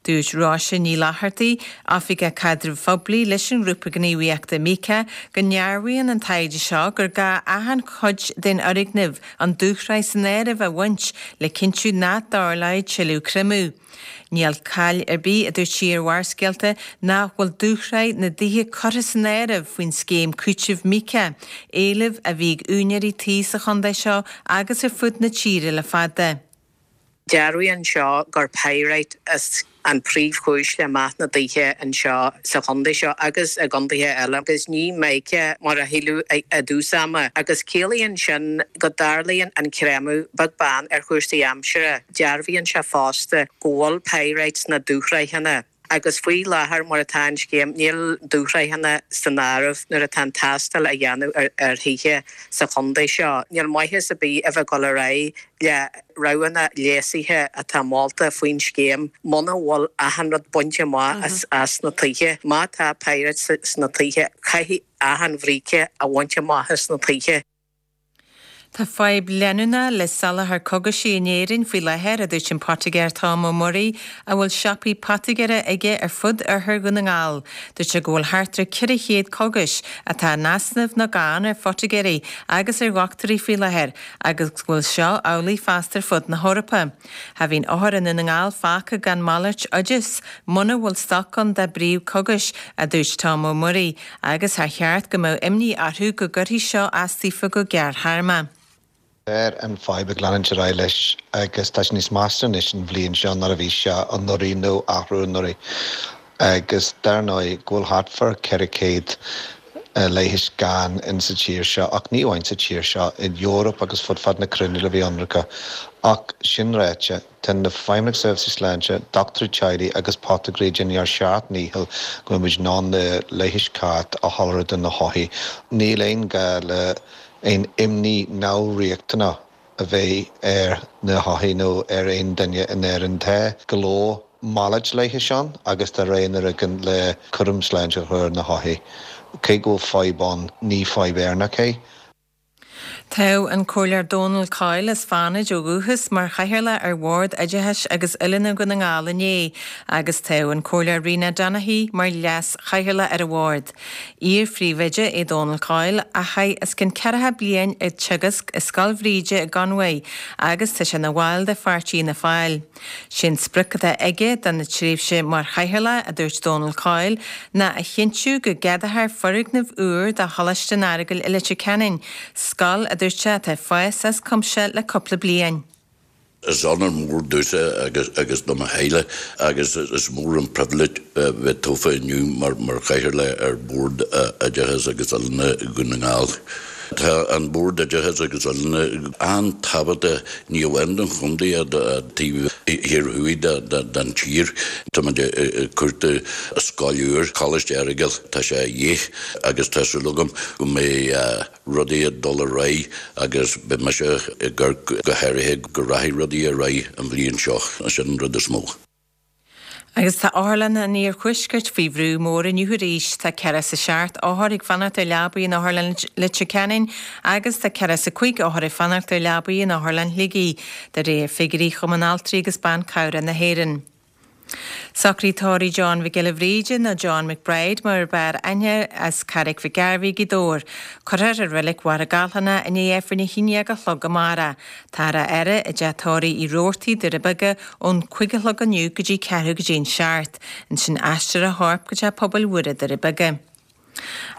Dúirt Róise Ní Fhlathartaigh, Oifigeach Caidrimh Phoiblí leis an ngrúpa gníomhaíochta Míoca, go ndearbhaíonn an taighde seo gur gá achan chuid den fhoirgneamh, an dúshraith san áireamh, a bhaint le cinntiú nach dtarlóidh tuilleadh creimeadh. Níl caill ar bith, a dúirt sí ar Bharrscéalta, nach bhfuil dúshraith na dtithe curtha san áireamh faoin scéim cúitimh Míoca, éileamh a bhí ag úinéirí tí sa chontae seo agus ar fud na tíre le fada. Dearbhaíonn seo gur pyrite is an príomhchúis le meath na dtithe anseo sa chontae seo agus i gcontaetha eile agus ní mica mar a shíleadh i dtús ama agus ciallaíonn sin go dtarlaíonn an creimeadh beag beann ar chúrsaí aimsire. Dearbhaíonn sé fosta go bhfuil pyrite sna dúshraitheanna. Agus faoi láthair, mar atá an scéim, níl dúshraitheanna san áireamh nuair atá an tástáil á dhéanamh ar thithe sa chontae seo. Níl maitheas ar bith a bheith ag dul ar aghaidh le roghanna léasaithe atá molta faoin scéim muna bhfuil achan rud bainte amach as na tithe. Má tá pyrite sna tithe, caithfidh achan bhríce a bhaint amach as na tithe. Tá fadhb leanúnach le soláthar cogaisí in Éirinn faoi láthair, a dúirt an poitigéir Tom Ó Muirí, a bhfuil siopaí poitigéara aige ar fud oirthear Dhún na nGall. Dúirt sé go bhfuil thart ar 400 cogais atá in easnamh nó gann ar phoitigéirí agus ar dhochtúirí faoi láthair agus go bhfuil seo amhlaidh fosta ar fud na hEorpa. Cha bhíonn othair i nDún na nGall fágtha gan malairt oideas muna bhfuil stoc ann dá bpríomh-chogais, a dúirt Tom Ó Muirí. Agus char cheart go mbeadh imní orthu go gcuirfidh seo as daofa go gearrthéarma. Tá an fadhb ag leanúint ar aghaidh leis agus tá sé níos measa anois an bhliain seo ná a bhí sé anuraidh nó athrú anuraidh. Agus dar ndóigh go bhfuil thart fá 400 leighis gann in sa tír seo ach ní amháin sa tír seo, in Eoraip agus fud fad na cruinne le bheith ionraice. Ach sin ráite, Tá na Feidhmeannacht Seirbhísí Sláinte, dochtúirí teaghlaigh agus poitigéirí ag déanamh ár seacht ndícheall go mbeidh muid in ann na leighis ceart a sholáthar do na hothair. Níl aon gá le aon imní neamhriachtanach a bheith ar na hothair nó ar aon duine in Éirinn. Tá go leor malairt leighis ann agus tá roghanna againn le cúram sláinte a chur ar na hothair. Cé go bhfuil fadhb ann, ní fadhb Éireannach é. Toghadh an Comhairleoir Dónal Coyle as Fánaid ó dhúchas mar Chathaoirleach ar Bhord Oideachais agus Oiliúna Dhún na nGall inné agus toghadh an Comhairleoir Rena Donaghey mar Leas-Chathaoirleach ar an Bhord. Iar-phríomhoide é Dónal Coyle a chaith os cionn ceathracha bliain ag teagasc i Scoil Bhríde i gConmhaigh agus tá sé ina bhall de pháirtí Fhianna Fáil. Sé an sprioc atá aige dona tréimhse mar Chathaoirleach, a dúirt Dónal Coyle, ná a chinntiú go gceadófar foirgneamh úr do Choláiste an Earagail i Leitir Ceanainn, scoil, a dúirt sé, atá ag fás as cuimse le cúpla bliain. Is onóir mór domhsa agus do mo theaghlach agus is mór an pribhléid bheith tofa inniu mar Chathaoirleach ar Bhord Oideachais agus Oiliúna Dhún na nGall. Tá an Bord Oideachais agus Oiliúna an-tábhachtach ní amháin don chontae ach don taobh thiar thuaidh den tír. Táimid ag cuartú scoil úr, Coláiste Errigal, tá sé a dhíth agus tá súil agam go mbeidh rudaí ag dul ar aghaidh agus beidh mise ag amharc go háirithe go rachaidh rudaí ar aghaidh an bhliain seo, sin an rud is mó. Agus tá otharlanna an iarthuaiscirt faoi bhrú mór inniu arís. Tá 47 othar ag fanacht ar leabaí in Otharlann Leitir Ceanainn agus tá 45 othar ag fanacht ar leabaí in Otharlann Shligigh, de réir figiúirí Chumann Altraí agus Ban Cabhrach na hÉireann. Socruithe tórraimh John Mhic Giolla Bhríde, nó John McBride mar ab fhearr aithne air, as Carraig Mhic Gairbhí, Gaoth Dobhair. Cuirfear i Reilig Mhachaire Gathlán é i ndiaidh Aifreann 11 a chlog amárach. Táthar á fhaire i dteach tórraimh Uí Robhartaigh, Doire Beaga, ón 5 a chlog inniu go dtí ceathrú go dtí an seacht. Ansin aistreofar a chorp go Teach Pobail Mhuire, Doire Beaga.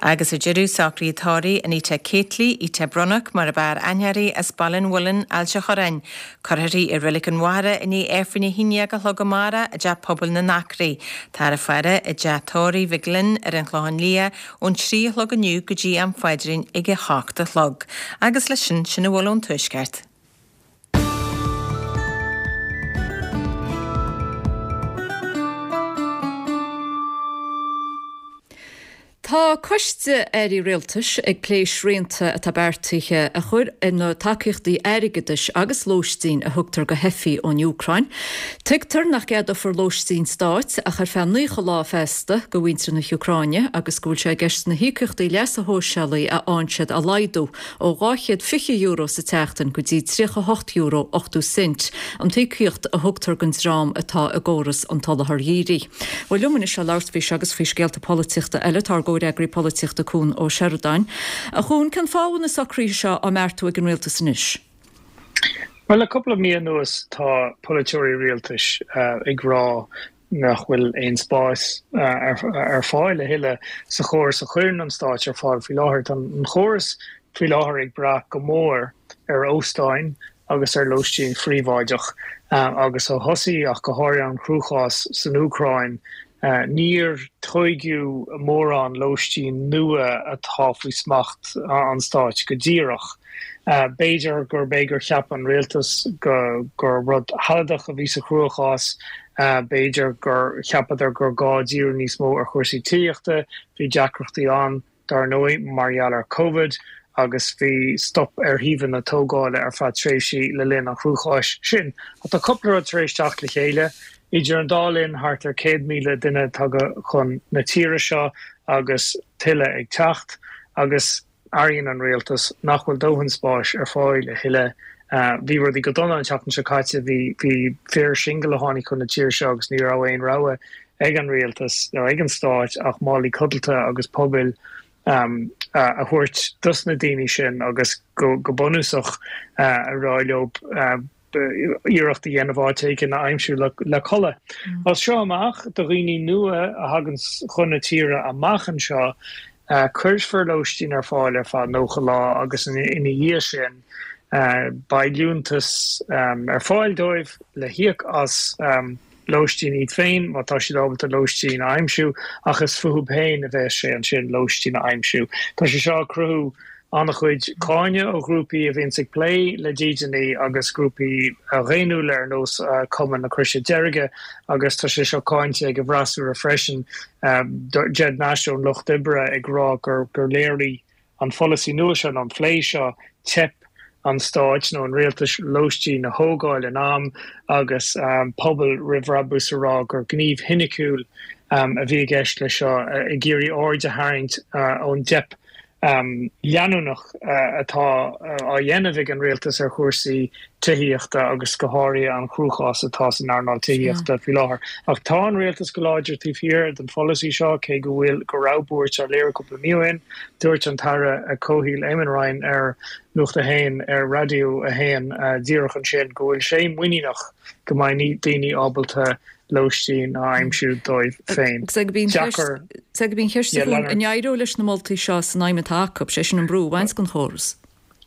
Agus ar deireadh, socruithe tórraimh Anita Cately, Ita Brunnock mar ab fhearr aithne uirthi, as Baile an Mhuilinn, Ailt an Chorráin. Cuirfear í i Reilig an Mhachaire i ndiaidh Aifreann 11 a chlog amárach i dTeach Pobail na nAcraí. Táthar á faire i dTeach Tórraimh Mhig Fhloinn ar an Chlochán Liath ón 3 a chlog inniu go dtí am phaidrín ag a hocht a chlog. Agus leis sin, sin a bhfuil ón Tuaisceart. Tá coiste airí rialtais ag plé srianta atá beartaithe a chur ar na tacaíochtaí airgeadais agus lóistín a thugtar do theifigh ón Úcráin. Tuigtear nach gceadófar lóistín stáit ach ar feadh 90 lá feasta do mhuintir na hÚcráine agus go bhfuil sé i gceist na híocaíochtaí leasa shóisialaigh a fhaigheann siad a laghdú ó €220 sa tseachtain go dtí €38 80 cent, an t-íocaíocht a thugtar don dream atá i gcóras an tSoláthair Dhírigh. Bhuel, liom anois le labhairt faoi seo agus faoi scéalta polaitíochta eile tá ár gcomhfhreagraí polaitíochta Cuan Ó Seireadáin. A Chuain, cén fáth a bhfuil na socruithe seo á mbeartú ag an rialtas anois? Bhuel, le cúpla mí anuas tá polaiteoirí rialtais ag rá nach bhfuil aon spás ar fáil a thuilleadh sa chóras a chuireann an stáit ar fáil faoi láthair. Tá an chóras faoi láthair ag brath go mór ar óstáin agus ar lóistín phríobháideach agus ó thosaigh ach go háirithe an cruachás san Úcráin níor tóigeadh mórán lóistín nua atá faoi smacht an stáit go díreach. B'fhéidir gurb é gur cheap an rialtas gur rud shealadach a bhí sa chruachás, b'fhéidir gur cheapadar gur gá díriú níos mó ar chúrsaí tithíochta, bhí deacrachtaí ann, dar ndóigh, mar gheall ar Covid agus bhí stop ar shuíomhanna tógála ar feadh tréimhsí le linn an chruacháis sin. Ach tá cúpla rud tar éis teacht le chéile. Idir an dá linn, thart ar 100,000 duine tagtha chun na tíre seo agus tuilleadh ag teacht agus airíonn an rialtas nach bhfuil dóthain spáis ar fáil a thuilleadh. Bhí rudaí go dona an tseachtain seo caite, bhí bhí fir singil a tháinig chun na tíre seo agus ní raibh aon rogha ag an rialtas nó ag an stáit ach málaí codlata agus pubaill a thabhairt dos na daoine sin agus go bunúsach a rá leo iarracht a dhéanamh áit éigin a aimsiú le codladh. As seo amach, do dhaoine nua a thagann chun na tíre amach anseo, cuirfear lóistín ar fáil ar feadh 90 lá agus ina dhiaidh sin beidh liúntas ar fáil dóibh le híoc as lóistín iad féin má tá siad ábalta lóistín a aimsiú ach is fúthu féin a bheas sé ansin lóistín a aimsiú. Tá sé seo ag cruthú an-chuid cáineadh ó ghrúpaí a bhíonns ag plé le dídeanaí agus grúpaí dhaonnúla ar nós Cumann na Croise Deirge agus tá sé seo cáinte ag an bhfreasúra freisin, Ged Nash ón Lucht Oibre ag rá gur léirigh an pholasaí nua seo nó an phlé seo teip an stáit nó an rialtais lóistín a thógáil in am agus Pobal Roimh Bhrabús a rá gur gníomh soiniciúil a bhí i gceist leis seo ag iarraidh aird a tharraingt ón dteip. leanúnach atá á dhéanamh ag an rialtas ar chúrsaí tithíochta agus go háirithe an cruachás atá san earnáil tithíochta faoi láthair. Ach tá an rialtas go láidir taobh thiar den pholasaí seo, cé go bhfuil go raibh buairt á léiriú cúpla mí ó shin. Dúirt an tAire Comhshaoil Eamon Ryan ar Nuacht a hAon ar Raidió a hAon díreach ansin go bhfuil sé muiníneach go mbeidh daoine ábalta lóistín a aimsiú dóibh féin. Sea, gurb í an cheist an éireoidh leis na moltaí seo san aidhm atá acu, sé sin an brú a bhaint den chóras?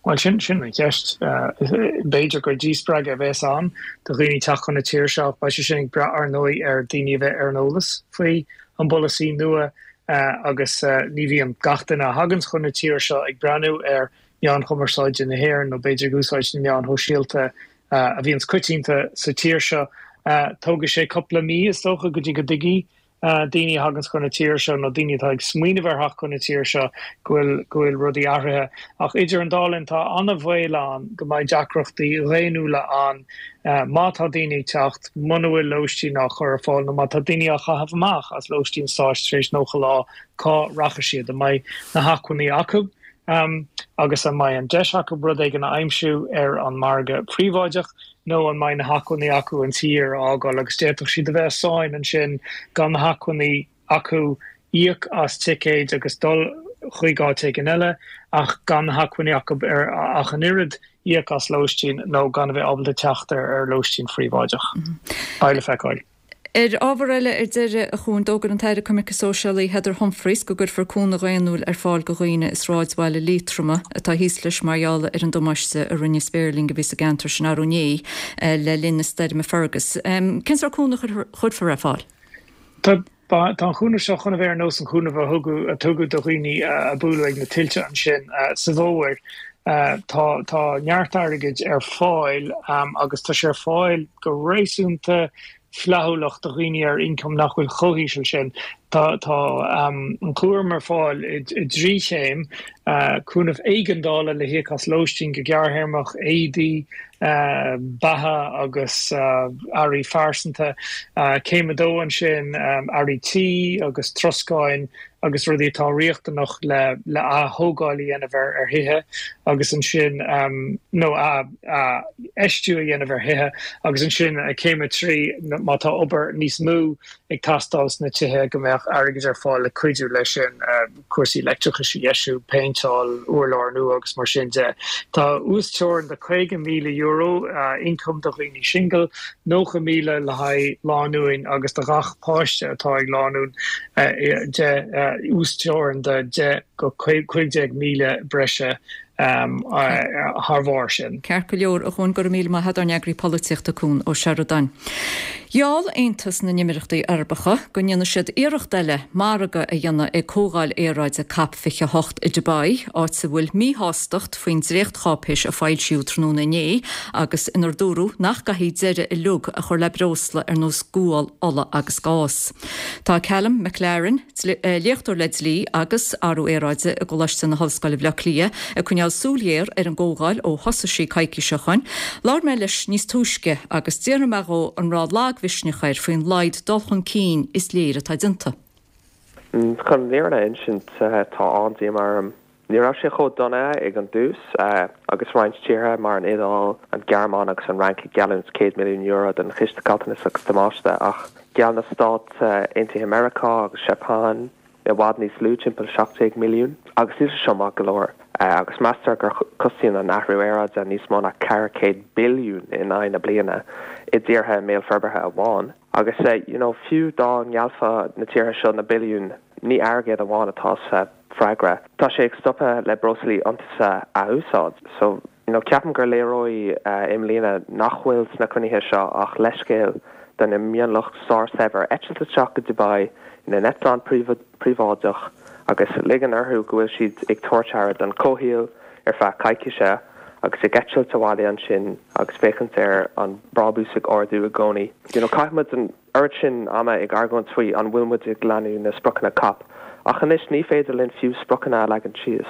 Bhuel, sin sin an cheist. B'fhéidir gur díspreagadh a bheas ann do dhaoine teacht chun na tíre seo ach beidh sé sin ag brath ar ndóigh ar daoine a bheith ar an eolas faoi an bpolasaí nua agus ní bhíonn gach duine a thaganns chun na tíre seo ag breathnú ar mheáin chumarsáide na hÉireann nó b'fhéidir ag úsáid na meáin shóisialta a bhíonns coitianta sa tír seo. Tógfaidh sé cúpla mí, is dócha, go dtí go dtuigfidh daoine a thaganns chun na tíre seo nó daoine atá ag smaoineamh ar theacht chun na tíre seo go bhfuil go bhfuil rudaí athraithe. Ach idir an dá linn, tá an-bhaol ann go mbeidh deacrachtaí dhaonnúla ann má tá daoine ag teacht, muna bhfuil lóistín á chur ar fáil nó má tá daoine á chaitheamh amach as lóistín stáit tar éis 90 lá, cá rachaidh siad? An mbeidh na hacmhainní acu? Agus an mbeidh an deis acu rud éigin a aimsiú ar an margadh príobháideach nó an mbeidh na hacmhainní acu an tír a fhágáil agus d'fhéadfadh siad a bheith i sáinn ansin gan na hacmhainní acu íoc as ticéid agus dul chuig áit éigin eile ach gan na hacmhainní acu ach an oiread íoc as lóistín nó gan a bheith ábalta teacht ar lóistín phríobháideach. Beidh le feiceáil. Ar ábhar eile ar deireadh, a Chuain, d'fhógair an tAire Coimirce Sóisialaí Heather Humphreys go gcuirfear cúnamh dhaonnúil ar fáil do dhaoine i sráidbhaile Liatroma atá thíos leis mar gheall ar an damáiste a rinne spéirling a bhí sa gceantar sin arú inné le linn na stoirme Fergus. Cén sórt cúnamh a chuirfear ar fáil? Tá an cúnamh seo chun a bheith ar nós an chúnaimh a thugadh a tugadh do dhaoine a buaileadh ag na tuilte ansin sa bhfómhar. Tá tá neart airgid ar fáil agus tá sé ar fáil go réasúnta flaithiúlach do dhaoine ar ioncam nach bhfuil chomh híseal sin. Tá tá an cúram ar fáil i dtrí chéim, cúnamh éigeandála le híoc as lóistín go gearrthéarmach, éadaí, beatha agus earraí phearsanta. Céim a dó ansin, earraí tí agus troscáin agus rudaí atá riachtanach le le ath-thógáil a dhéanamh ar ar thithe agus ansin nó athfheistiú a dhéanamh ar thithe agus ansin céim a 3 má tá obair níos mó ag teastáil sna tithe go mbeadh airgead ar fáil le cuidiú leis sin. cúrsaí leictreachais a dheisiú, péinteáil, urláir nua agus mar sin de. Tá uasteorainn de €50,000 ioncaim do dhaoine singil, 90,000 le haghaidh lánúin agus do ghach páiste atá ag lánúin uasteorainn de 10 go 15,000 breise thar bharr sin. Ceart go leor, a Chuain, go raibh míle maith agat, ár n-eagraí polaitíochta Cuan Ó Seireadáin. Gheall Aontas na nÉimíríochtaí Arabacha go ndéanfaidh siad iarracht eile margadh a dhéanamh ag Comhdháil Aeráide Cop 28 i Dubai, áit a bhfuil míshástacht faoin dréachtcháipéis a foilsíodh tráthnóna inné agus inar dúradh nach gcaithfí deireadh uilig a chur le breosla ar nós gual, ola agus gás. Tá Calum McLaren, léachtóir le dlí agus athrú aeráide i gColáiste na hOllscoile Bhaile Átha Cliath, ag coinneáil súil ghéar ar an gcomhdháil ó thosaigh sí coicís ó shoin. Labhair mé leis níos túisce agus d'fhiafraigh mé dhó an raibh lagmhisneach air faoin laghad dul chun cinn is léir atá déanta. Chun an fhírinne a insint, tá an-díomá orm. Ní raibh sé chomh dona ag an dtús, agus roinnt tíortha mar an Iodáil, an Ghearmáin agus an Fhrainc ag geallúint €100 milliún don Chiste Caillteanas agus Damáiste, ach gheall na Stáit Aontaithe Meiriceá agus Seapáin i bhfad níos lú, timpeall 17 milliún. Agus níl sé seo maith go leor, agus meastar gur costaíonn an athrú aeráide níos mó ná 400 billiún in aghaidh na bliana i dtíortha i mbéal forbartha amháin. Agus you know fiú dá ngeallfadh na tíortha seo na billiúin, ní airgead amháin atá sa freagra. Tá sé ag stopadh le breoslaí iontaise a úsáid. So you know ceapaim gur léireoidh i mbliana nach bhfuil sna cruinnithe seo ach leithscéal do na mionlach sár-saibhir eitilt isteach go Dubai ina n-eitleán príobháideach agus ligean orthu go bhfuil siad ag tabhairt aire don chomhshaol ar feadh coicíse agus ag eitilt abhaile ansin agus féachaint ar an brábús ag ardú i gcónaí. You know, chaith muid an oiread sin ama ag argóint faoi an bhfuil muid ag leanúint na spriocanna cop, ach anois ní féidir linn fiú spriocanna a leagan síos.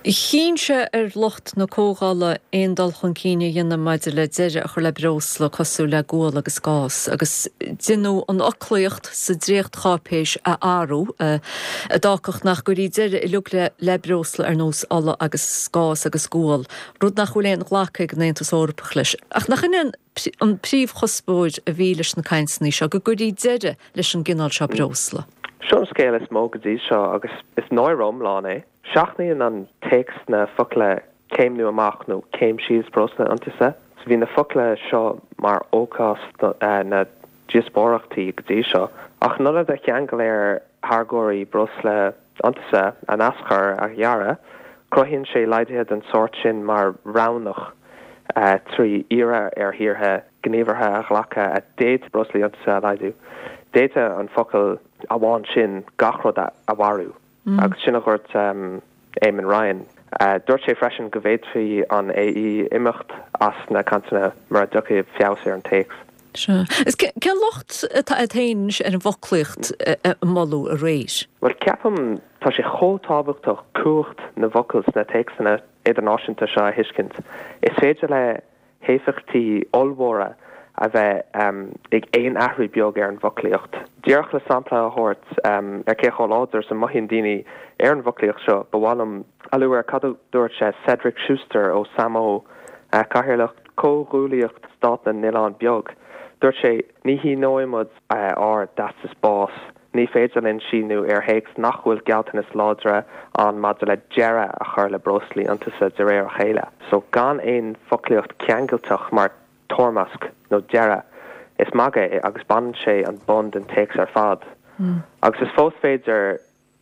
Chinn sé ar lucht na comhdhála aon dul chun cinn a dhéanamh maidir le deireadh a chur le breosla cosúil le gual agus gás, agus deineadh an fhoclaíocht sa dréachtcháipéis a athrú, a d'fhágfadh nach gcuirfí deireadh uilig le breosla ar nós ola agus gás agus gual, rud nach bhfuil aon ghlacadh ag an Aontas Eorpach leis. Ach nach in é an príomhchuspóir a bhí leis na cainteanna seo, go gcuirfí deireadh leis an gcineál seo breosla? Seo an scéal is mó go dtí seo agus is náire iomlán é. Seachnaíonn an téacs na focla céimniú amach nó céim síos breosla iontaise. So bhí na focla seo mar fhócas na díospóireachtaí go dtí seo. Ach in ionad a cheangal ar tháirgeoirí breosla iontaise a n-aschur a ghearradh, cruthaíonn sé laghduithe den sórt sin mar roghnach trí iarraidh ar thíortha gníomhartha a ghlacadh a d'fhéadfadh breoslaí iontaise a laghdú. D'fhéadfadh an focal amháin sin gach rud a mharú. Agus sin a dhúirt Eamon Ryan. Dúirt sé freisin go bhféadfaí an AE imeacht as na cainteanna mura dtiocfaidh feabhas ar an téacs. Sea. Is cén locht atá agat féin anois ar an bhfoclaíocht a moladh aréir? Bhuel, ceapaim, tá sé chomh tábhachtach cumhacht na bhfocal sna téacsanna idirnáisiúnta seo a thuiscint. Is féidir le héifeachtaí ollmhóra a bheith ag aon athrú beag ar an bhfoclaíocht. Díreach le sampla a thabhairt ar cé chomh láidir is a mothaíonn daoine ar an bhfoclaíocht seo, ba mhaith liom a lua ar cad a dúirt Cedric Schuster ó Samó, Cathaoirleach Comhghuaillíocht Stát na nOileán Beag. Dúirt sé, Ní shíneoidh muid ár dteastas báis Ní féidir linn síniú ar théacs nach bhfuil gealltanas láidre ann maidir le deireadh a chur le breoslaí iontaise de réir a chéile. So gan aon foclaíocht ceangailteach mar toirmeasc nó deireadh, is magadh é agus baineann sé an bonn den téacs ar fad. Agus is fós féidir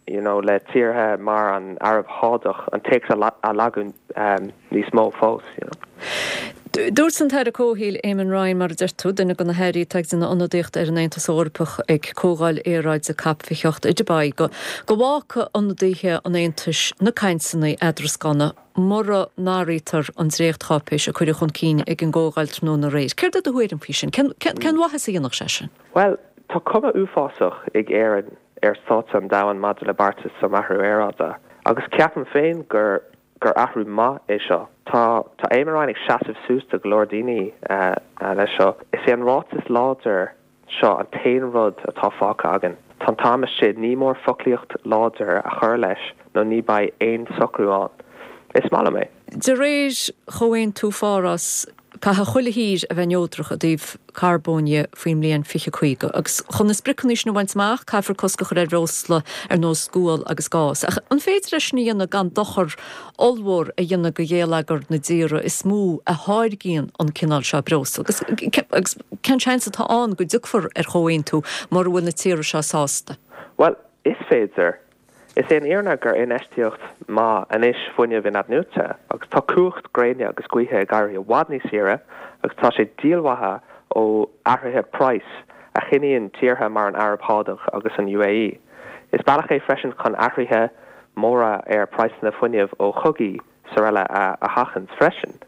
you know le tíortha mar an Araib Shádach an téacs a lagú níos mó fós you know. Dúirt an tAire Comhshaoil Eamon Ryan, mar a deir tú, duine de na hairí atá ag déanamh ionadaíocht ar an Aontas Eorpach ag Comhdháil Aeráide Cop 28 i Dubai, go bhfágfaidh ionadaithe an Aontais na cainteanna eadrascána mura n-athraítear an dréachtcháipéis a cuireadh chun cinn ag an gcomhdháil tráthnóna aréir. Céard é do thuairim faoi sin? Cén mhaitheas a dhéanfadh sé sin? Bhuel, tá cuma uafásach ag Éirinn ar stáitse an domhain maidir le beartas um athrú aeráide agus ceapaim féin gur gur athrú maith é seo. Tá tá Eamon Ryan ag seasamh suas do go leor daoine leis seo. Is é an ráiteas láidir seo an t-aon rud atá fágtha againn. Tá an t-am istigh, ní mór foclaíocht láidir a chur leis nó ní beidh aon socrú ann. Is maith liom é. De réir Chomhaontú Pháras, Caithfidh chuile thír a bheith neodrach i dtaobh carbóin dhe faoin mbliain 2050 agus chun na spriocanna sin a bhaint amach caithfear cosc a chur ar bhreosla ar nós gual agus gás. Ach an féidir é sin a dhéanamh gan dochar ollmhór a dhéanamh do gheilleagar na dtíortha is mó a tháirgíonn an cineál seo breosla? Agus cén seans atá ann go dtiocfar ar chomhaontú mura bhfuil na tíortha seo sásta? Bhuel, is féidir. Is é an fhírinne gur infheistíocht maith anois fuinneamh in-athnuaite agus tá cumhacht gréine agus gaoithe ag éirí i bhfad níos saoire agus tá sé díolmhaithe ó athruithe praghais a chinneann tíortha mar an Araib Shádach agus an UAE. Is bealach é freisin chun athruithe móra ar praghsanna fuinnimh ó chogaí 's araile a sheachaint freisin.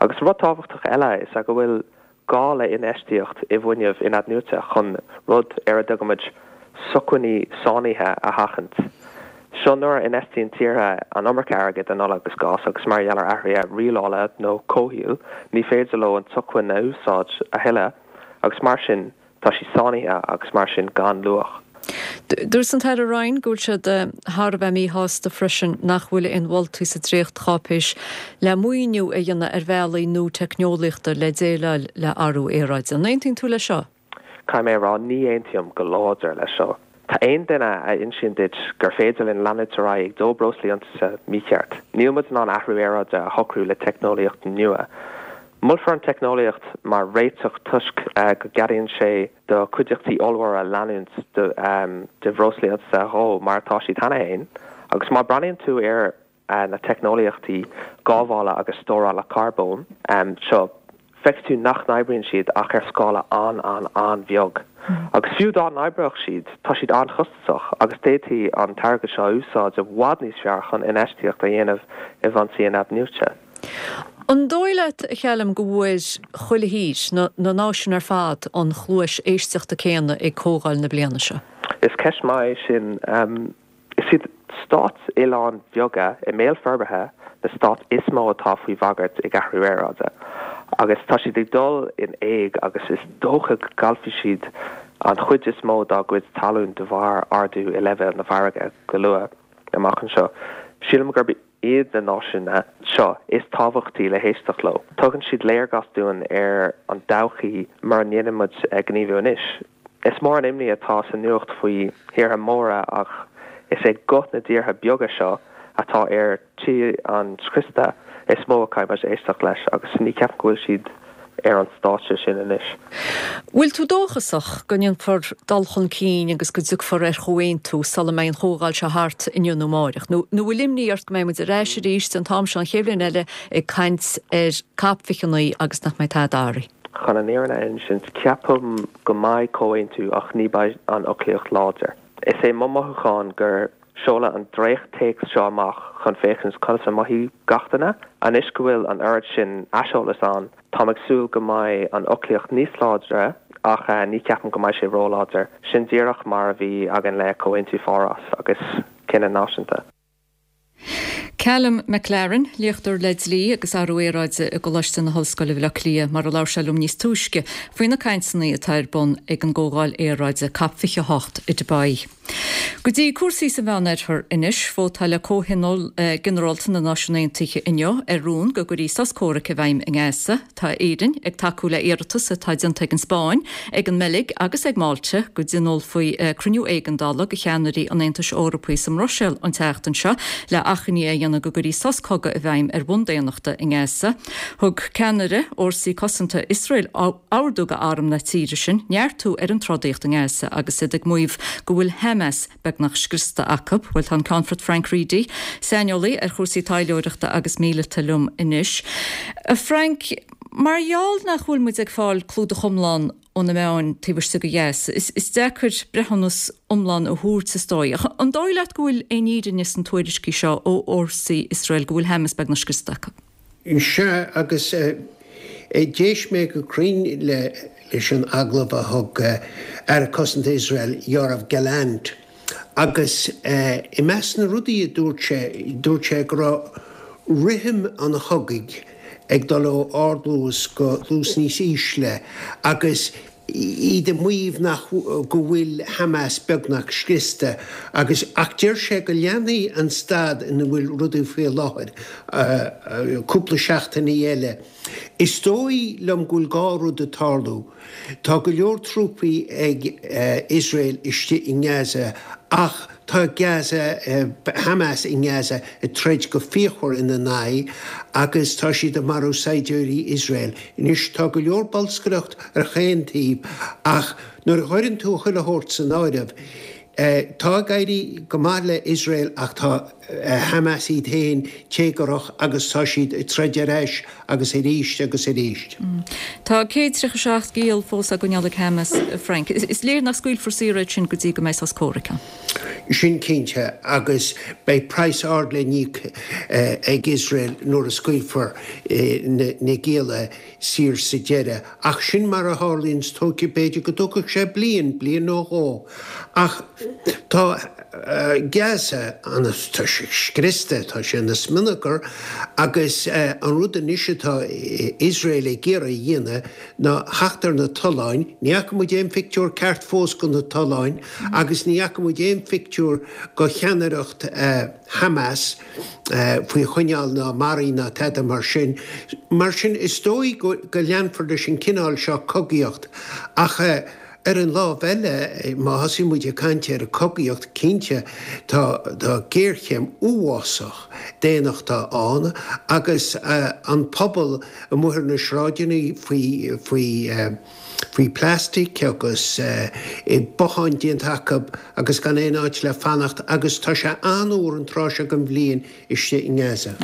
Agus rud tábhachtach eile is ea go bhfuil gá le infheistíocht i bhfuinneamh in-athnuaite chun rud ar a dtugaimid sócmhainní sáinnithe a sheachaint. Seo nuair a infheistíonn tíortha an iomarca airgid in ola agus gás agus mar gheall ar athruithe rialála nó comhshaoil ní féidir leo an tsócmhainn a úsáid a thuilleadh agus mar sin Tá sí sáinnithe agus mar sin gan luach. Dúirt an tAire Ryan go bhfuil siad thar a bheith míshásta freisin nach bhfuil aon mholtaí sa dréachtcháipéis le maoiniú a dhéanamh ar bhealaí nua teicneolaíochta le déileáil le athrú aeráide. An aontaíonn tú leis seo? Caithfidh mé a rá, ní aontaím go láidir leis seo. Tá aon duine a insíonn duit gur féidir linn leanúint ar aghaidh ag dó breoslaí iontaise mícheart. Níl muid in ann athrú aeráide a shocrú le teicneolaíocht nua. Molfar an teicneolaíocht mar réiteach toisc go gceadaíonn sé do chuideachtaí ollmhóra leanúint de bhreoslaí iontaise a dhó mar atá siad cheana féin agus má breathnaíonn tú ar na teicneolaíochtaí gábhála agus stórála carbóin seo, feicfidh tú nach n-oibríonn siad ach ar scála an-an-an-bheag. Agus fiú dá n-oibreodh siad, tá siad an-chostasach agus d'fhéadfaí an t-airgead seo a úsáid i bhfad níos fearr chun infheistíocht a dhéanamh i bhfoinsí in-athnuaite. An dóigh leat, a Chaluim, go bhfuair chuile thír, na náisiúin ar fad, an chluais éisteachta céanna ag comhdháil na bliana seo? Is ceist maith é sin. Is iad. stáit oileáin bheaga i mbéal forbartha na stáit is mó atá faoi bhagairt ag athrú aeráide agus tá siad ag dul in éag agus is dócha go gcaillfidh siad an chuid is mó dá gcuid talún de bharr ardú i leibhéal na farraige go luath amach anseo. Sílim gurb iad na náisiúin seo is tábhachtaí le héisteacht leo. Tugann siad léargas dúinn ar an todhchaí mura ndéanann muid gníomhú anois. Is mór an imní atá sa nuacht faoi thíortha móra ach is é guth na dtíortha beaga seo atá ar tí an scriosta is mó a chaithfidh muid éisteacht leis agus ní cheapaim go bhfuil siad ar an stáitse sin anois. Bhfuil tú dóchasach go ndéanfar dul chun cinn agus go dtiocfar ar chomhaontú sula mbeidh an chomhdháil seo thart inniu nó amáireach? Nó bhfuil imní ort go mbeidh muid ar ais arís an t-am seo an chéad bhliain eile ag caint ar COP 29 agus nach mbeidh tada athraithe? Chun an fhírinne a insint, ceapaim go mbeidh comhaontú ach ní beidh an fhoclaíocht láidir. Is é mo mhothúchán gur seoladh an dréacht-téacs seo amach chun féachaint conas a mhothaigh gach duine. Anois go bhfuil an oiread sin aiseolas ann, táim ag súil go mbeidh an fhoclaíocht níos láidre ach ní cheapaim go mbeidh sé róláidir. Sin díreach mar a bhí againn le Comhaontú Pháras agus Cinneadh Náisiúnta. Calum McLaren, léachtóir le dlí agus athrú aeráide i gColáiste na hOllscoile Bhaile Átha Cliath, mar a labhair sé liom níos túisce faoi na cainteanna atá ar bun ag an gcomhdháil aeráide Cop 28 i Dubai. Go dtí cúrsaí sa Mheánoirthear anois, vótáil Comhthionól Ginearálta na Náisiún Aontaithe inniu ar rún go gcuirfí sos comhraic i bhfeidhm i nGaza. Tá Éirinn ag tacú le iarratas atá déanta ag an Spáinn, ag an mBeilg agus ag Málta go dtionólfaí cruinniú éigeandála de cheannairí an Aontais Eorpaigh sa mBruiséil an tseachtain seo le achainí a dhéanamh go gcuirfí sos cogaidh i bhfeidhm ar bhonn daonnachta i nGaza. Thug ceannaire fhórsaí cosanta Iosrael ordú do arm na tíre sin neartú ar an trodaíocht i nGaza agus iad ag maíomh go bhfuil Hamas beagnach scriosta acu. Bhuel, tá an Ceannfort Frank Reidy, saineolaí ar chúrsaí taidhleoireachta agus míleata liom anois. A Frank, mar gheall nach bhfuil muid ag fáil clúdach iomlán ó na meáin taobh istigh ó dheas, is deacair breithiúnas iomlán a thabhairt is dóigh. Ach an dóigh leat go bhfuil aon fhírinne sna tuairiscí seo ó fhórsaí Iosrael go bhfuil Hamas beagnach scriosta acu? Sea, agus d'éist mé go cruinn leis an agallamh a thug Aire Cosanta Iosrael, Yoav Gallant, agus i measc na rudaí a dúirt sé, dúirt sé go raibh rithim an chogaidh ag dul ó ardluas go luas níos ísle agus iad ag maíomh nach go bhfuil Hamas beagnach scriosta agus ach deir sé go leanfaidh an staid ina bhfuil rudaí faoi láthair cúpla seachtainí eile. Is dóigh liom go bhfuil dhá rud ag tarlú. Tá go leor trúpaí ag Iosrael istigh i nGaza ach Tá Gaza, Hamas i nGaza ag troid go fíochmhar ina n-aghaidh agus tá siad ag marú saighdiúirí Iosrael. Anois tá go leor bolscaireacht ar chaon taobh ach nuair a chuireann tú chuile shórt san áireamh, tá ag éirí go maith le Iosrael ach tá Hamas iad féin téagarthach agus tá siad ag troid ar ais agus arís agus arís. Tá 137 giall fós á gcoinneáil ag Hamas, a Frank. Is léir nach scaoilfear saor iad sin go dtí go mbeidh sos comhraic ann. Sin cinnte, agus beidh praghas ard le n-íoc ag Iosrael nuair a scaoilfear na gialla saor sa deireadh. Ach sin mar a tharlaíonns, tógfaidh, b'fhéidir go dtógfadh sé bliain, bliain nó dhó. Ach tá Gaza, tá sé scriosta, tá sé ina smionagar agus an rud anois atá Iosrael ag iarraidh a dhéanamh ná theacht ar na tolláin. Ní fhaca muid aon phictiúr ceart fós de na tolláin agus ní fhaca muid aon phictiúr de cheannaireacht Hamas faoi choinneáil ná maraithe ná tada mar sin. Mar sin is dóigh go leanfar leis an cineál seo cogaíocht ach Ar an lámh eile, má thosaíonn muid ag caint ar chogaíocht, cinnte tá géarchéim uafásach daonnachta ann agus an pobal amuigh ar na sráideanna faoi faoi faoi plastic agus botháin déanta acu agus gan aon áit le fanacht agus tá sé an-fhuar an tráth seo den bhliain istigh i nGaza.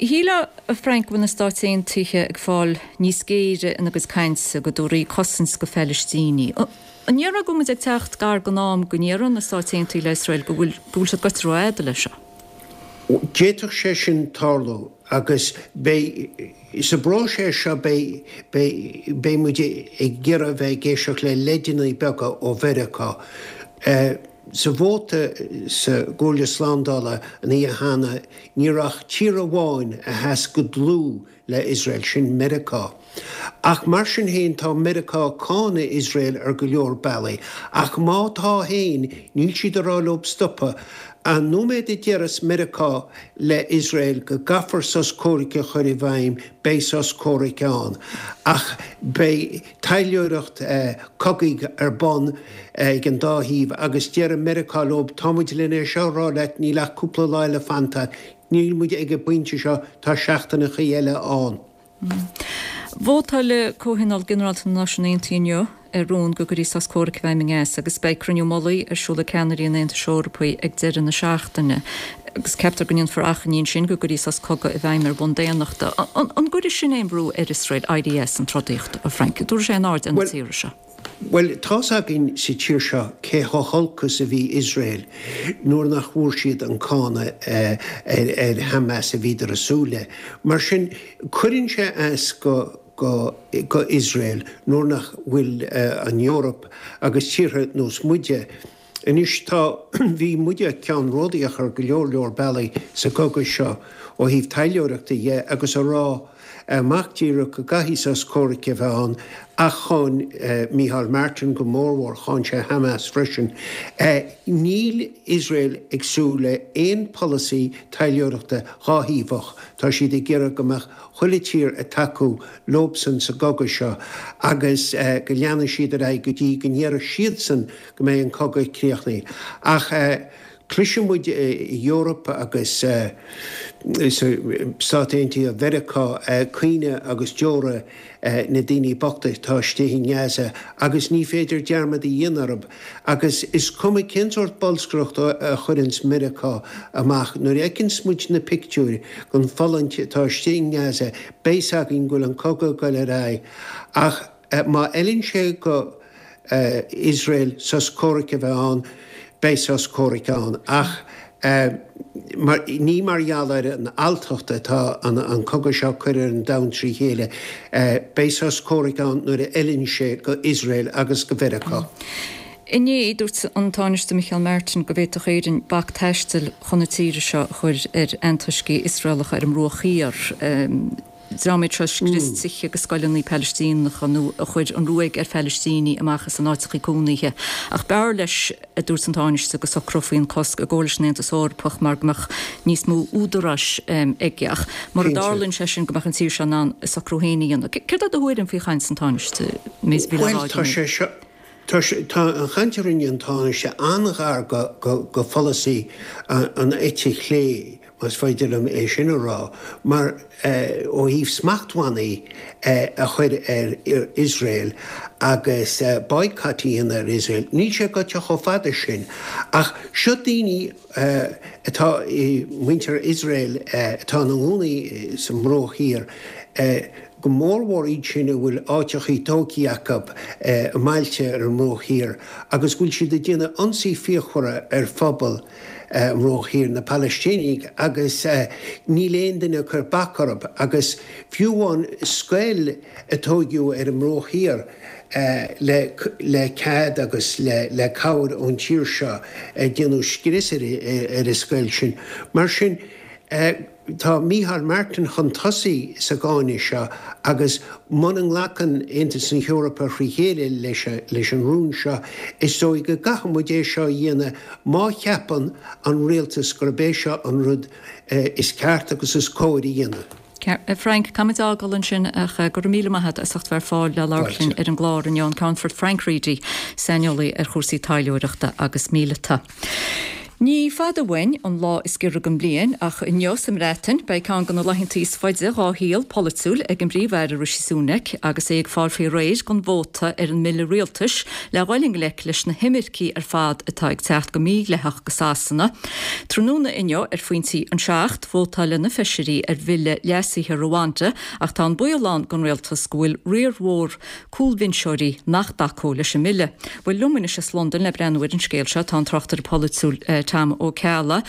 Shílfeá, a Frank, go bhfuil na Stáit Aontaithe ag fáil níos géire ina gcuid cainte, go dtabharfaí cosaint go Phalaistínigh. An ndéarfá go bhfuil muid ag teacht gar don am go ndéarfaidh na Stáit Aontaithe le Iosrael go bhfuil go bhfuil siad goite rófhada leis seo? D'fhéadfadh sé sin tarlú agus beidh, sa bpróiseas seo beidh, beidh, beidh muid ag iarraidh a bheith ag éisteacht le leideanna beaga ó Mheiriceá. Sa vóta sa gComhairle Slándála an oíche cheana, ní raibh ach tír amháin a sheas go dlúth le Iosrael, sin Meiriceá. Ach mar sin féin, tá Meiriceá ag cáineadh Iosrael ar go leor bealaí. Ach má tá féin, níl siad ag rá leo stopadh. An nóiméad a déarfas Meiriceá le Iosrael go gcaithfear sos comhraic a chur i bhfeidhm, beidh sos comhraic ann. Ach beidh. taidhleoireacht cogaidh ar bun ag an dá thaobh agus déarfaidh Meiriceá leo, tá muid len é seo a rá leat, níl ach cúpla lá eile fanta, níl muid ag an bpointe seo, tá seachtaineachaí eile ann. Vótáil Comhthionól Ginearálta na Náisiún Aontaithe inniu ar rún go gcuirfí sos comhraic i bhfeidhm i nGaza agus beidh cruinniú mullaigh ar siúl ag ceannairí an Aontais Eorpaigh ag deireadh na seachtaine. Agus ceaptar go ndéanfar achainí ansin go gcuirfí sos cogaidh i bhfeidhm ar bhonn daonnachta. An gcuirfidh sin aon bhrú ar Iosrael éirí as an trodaíocht, a Frank? An dtabharfaidh sé aon aird ar na tíortha seo? Bhuel, tá's againn sa tír seo cé chomh holc is a bhí Iosrael nuair nach bhfuair siad an cáineadh ar Hamas a bhíodar ag súil le. Mar sin, cuireann sé as go go Iosrael nuair nach bhfuil an Eoraip agus tíortha nós muide, Anois tá, bhí muide ceannródaíoch ar go leor leor bealaí sa gcogadh seo ó thaobh taidhleoireachta dhe agus a rá amach díreach go gcaithfidh sos comhraic a bheith ann ach cháin Micheál Martin go mórmhór, cháin sé Hamas freisin. Níl Iosrael ag súil le aon pholasaí taidhleoireachta dháthaobhach, tá siad ag iarraidh go mbeadh chuile tír ag tacú leobsan sa gcogadh seo agus go leanfaidh siad ar aghaidh go dtí go ndéarfaidh siadsan go mbeidh an cogadh críochnaithe. Ach cloiseann muid i Eoraip agus sna Stáit Aontaithe Mheiriceá caoineadh agus deora na daoine bochta atá istigh i nGaza agus ní féidir dearmad a dhéanamh orthu. Agus is cuma cén sórt bolscaireacht a chuireanns Meiriceá amach, nuair a fheiceanns muid na pictiúir den fulaingt atá istigh i nGaza, beidh 's againn go bhfuil an cogadh ag goil ar aghaidh. Ach. Má fheileann sé go Iosrael sos comhraic a bheith ann, beidh sos comhraic ann. Ach ní mar gheall ar an alltacht atá an cogadh seo ag cur ar an domhan trí chéile. Beidh sos comhraic ann nuair a fheileann sé go Iosrael agus go Mheiriceá. Inné, dúirt an Tánaiste Micheál Martin go bhféadfadh Éirinn bac taistil chun na tíre seo a chur ar antoiscigh Iosraelacha ar an mBruach Thiar. dream iad seo a scrios tithe agus scoileanna Palaistíneacha nó a chuir an ruaig ar Phalaistínigh amach as a n-áiteachaí cónaithe. Ach b'fhearr leis, a dúirt an Tánaiste, go socrófaí an cosc i gcomhar leis an Aontas Eorpach mar go mbeadh níos mó údaráis aige. Ach mura dtarlaíonn sé sin go mbeadh an tír seo in ann a socrú féin a dhéanamh. Céard é do thuairim faoi chaint an Tánaiste, méid a bhí le rá Bhuel, tá sé seo, tá sé, tá an chaint a rinne an Tánaiste an-ghar go, go, go pholasaí an eite chlé. más féidir liom é sin a rá, mar ó thaobh smachtbhannaí a chur ar Iosrael agus boycott a dhéanamh ar Iosrael, níl sé gaibhte chomh fada sin. Ach seo daoine atá, muintir Iosrael atá ina gcónaí sa mBruach Thiar, go mórmhór iad sin a bhfuil áiteachaí tógthaí acu i mbailte ar an mBruach Thiar agus go bhfuil siad ag déanamh ionsaí fíochmhara ar phobal an Bhruach Thiar, na Palaistínigh, agus níl aon duine ag cur bac orthu. Agus fiú amháin scoil a tóigeadh ar an mBruach Thiar le cead agus le cabhair ón tír seo, déanadh scrios ar an scoil sin. Mar sin. Tá Micheál Martin chun tosaigh sa gcáineadh seo agus muna nglacann Aontas na hEorpa thrí chéile leis an rún seo, is dóigh go gcaithfidh muid é seo a dhéanamh má cheapann an rialtas gurb é seo an rud is ceart agus is cóir a dhéanamh. Frank, caithfimid a fhágáil ansin ach go raibh míle maith agat as ucht bheith ar fáil le labhairt linn ar an gclár inniu, an Ceannfort Frank Reidy, saineolaí ar chúrsaí taidhleoireachta agus míleata. Ní fada uainn an lá is giorra den bhliain, ach inniu sa mBreatain, beidh ceann de na laethantaí is faide dhá shaol polaitiúil ag an bPríomh-Aire Rishi Sunak agus é ag fáil faoi réir don vóta ar an mbille rialtais le dhul i ngleic leis na himircigh ar fad atá ag teacht go mídhleathach go Sasana. Tráthnóna inniu ar phointí an 7, vótáileann na feisirí ar bhille leasaithe Rwanda ach tá an baol ann don rialtas go bhfuil riar mhór cúlbhinseoirí nach dtacóidh leis an mbille. Bhuel, liom anois as Londain le breathnú ar an scéal seo tá an tráchtaire polaitiúil Tom Ó Ceallaigh.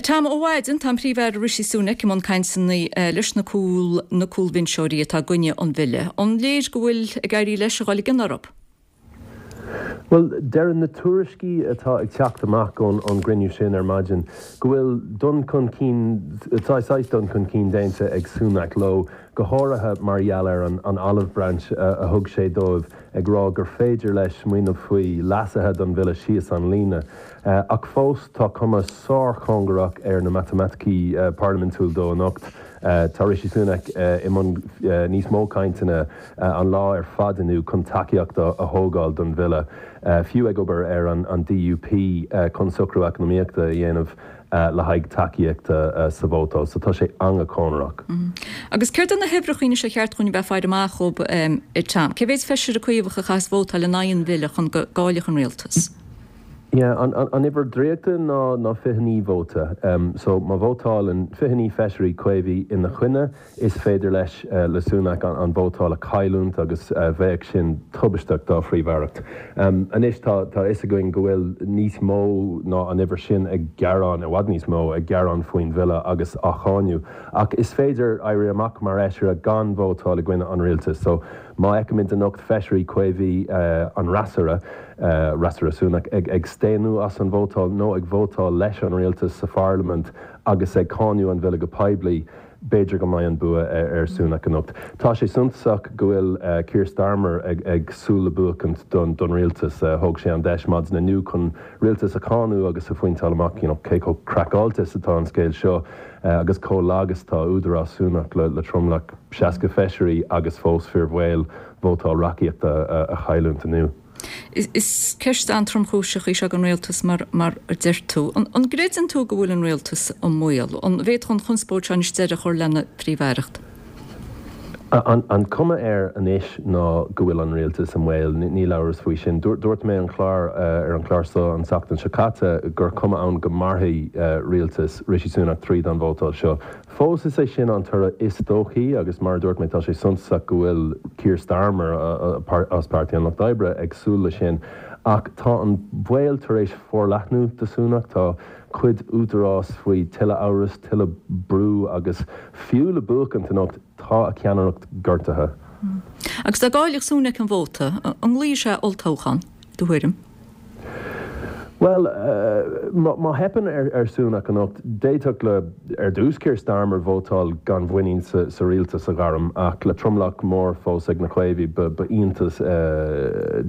Tom, ó mhaidin tá an Príomh-Aire Rishi Sunak i mbun cainteanna leis na cúl na cúlbhinseoirí atá i gcoinne an bhille. An léir go bhfuil ag éirí leis a dhul i gcion orthu? Bhuel, deireann na tuairiscí atá ag teacht amach ón gcruinniú sin ar maidin go bhfuil dul chun cinn, saghas dul chun cinn déanta ag Sunak leo, go háirithe mar gheall ar an olive branch a thug sé dóibh ag rá gur féidir leis smaoineamh faoi leasuithe don bhille síos an líne. Ach fós tá cuma sárchóngarach ar na matamaiticí parlaimintúil dó anocht. Tá Rishi Sunak i mbun níos mó cainteanna an lá ar fad inniu chun tacaíocht a thógáil don bhille, fiú ag obair ar an DUP chun socrú eacnamaíochta a dhéanamh le haghaidh tacaíochta sa vótáil. So tá sé an-chóngarach. Agus céard iad na huimhreacha anois ar cheart dhúinn a bheith ag faire amach dhóibh, a Tom? Cé mhéid feisire Caomhach a chaithfeas vótáil in aghaidh an bhille chun go gcaillfeadh an rialtas? Yeah, an uimhir draíochta ná 29 vóta. So má vótálann 29 feisirí Caomhaigh ina choinne, Is féidir leis, le Sunak, an vótáil a chailliúint agus bheadh sin tubaisteach dá phríomh-aireacht. Anois tá a fhios againn go bhfuil níos mó ná an uimhir sin ag gearán, i bhfad níos mó, ag gearán faoin bhille agus á cháineadh. Ach is féidir éirí amach mar fheisire gan vótáil i gcoinne an rialtais. So má fheicimid anocht feisirí Caomhaigh an fhreasúra, fhreasúra Sunak, ag staonadh as an vótáil nó ag vótáil leis an rialtas sa pharlaimint agus ag cáineadh an bhille go poiblí, B'fhéidir go mbeidh an bua ar Sunak anocht. Tá sé suntasach go bhfuil Keir Starmer ag súil le buachaint don rialtas. Thóg sé an deis maidin inniu chun rialtas a cháineadh agus a phointeáil amach you know cé chomh craiceáilte is atá an scéal seo agus chomh lag is atá údarás Sunak le tromlach 60 feisirí agus fós fíorbhaol vótáil reachtaíochta a chailliúint inniu. Is ceist an-tromchúiseach í seo don rialtas mar a deir tú. An gcreideann tú go bhfuil an rialtas i mbaol? An bhféadfadh an chonspóid seo anois deireadh a chur lena phríomh-aireacht? An cuma air anois ná go bhfuil an rialtas i mbaol, níl amhras faoi sin. Dúirt mé an clár ar an chlár seo an tseachtain seo caite gur cuma ann go mairfidh rialtas Rishi Sunak tríd an vótáil seo. Fós, is é sin an toradh is dóichí agus mar a dúirt mé, tá sé suntasach go bhfuil Keir Starmer as Páirtí an Lucht Oibre ag súil leis sin. Ach tá an baol tar éis forleathnú do Sunak, tá cuid údarás faoi tuilleadh amhras, tuilleadh brú agus fiú le buachaint anocht, tá a cheannaireacht gortaithe. Agus dá gcaillfeadh Sunak an vóta, an nglaofaidh sé olltoghchán, i do thuairim? Bhuel, má theipeann ar Sunak anocht, d'fhéadfadh le, ar dtús, Keir Starmer vótáil gan mhuinín sa rialtas a ghairm, ach le tromlach mór fós ag na Caomhaigh, ba iontas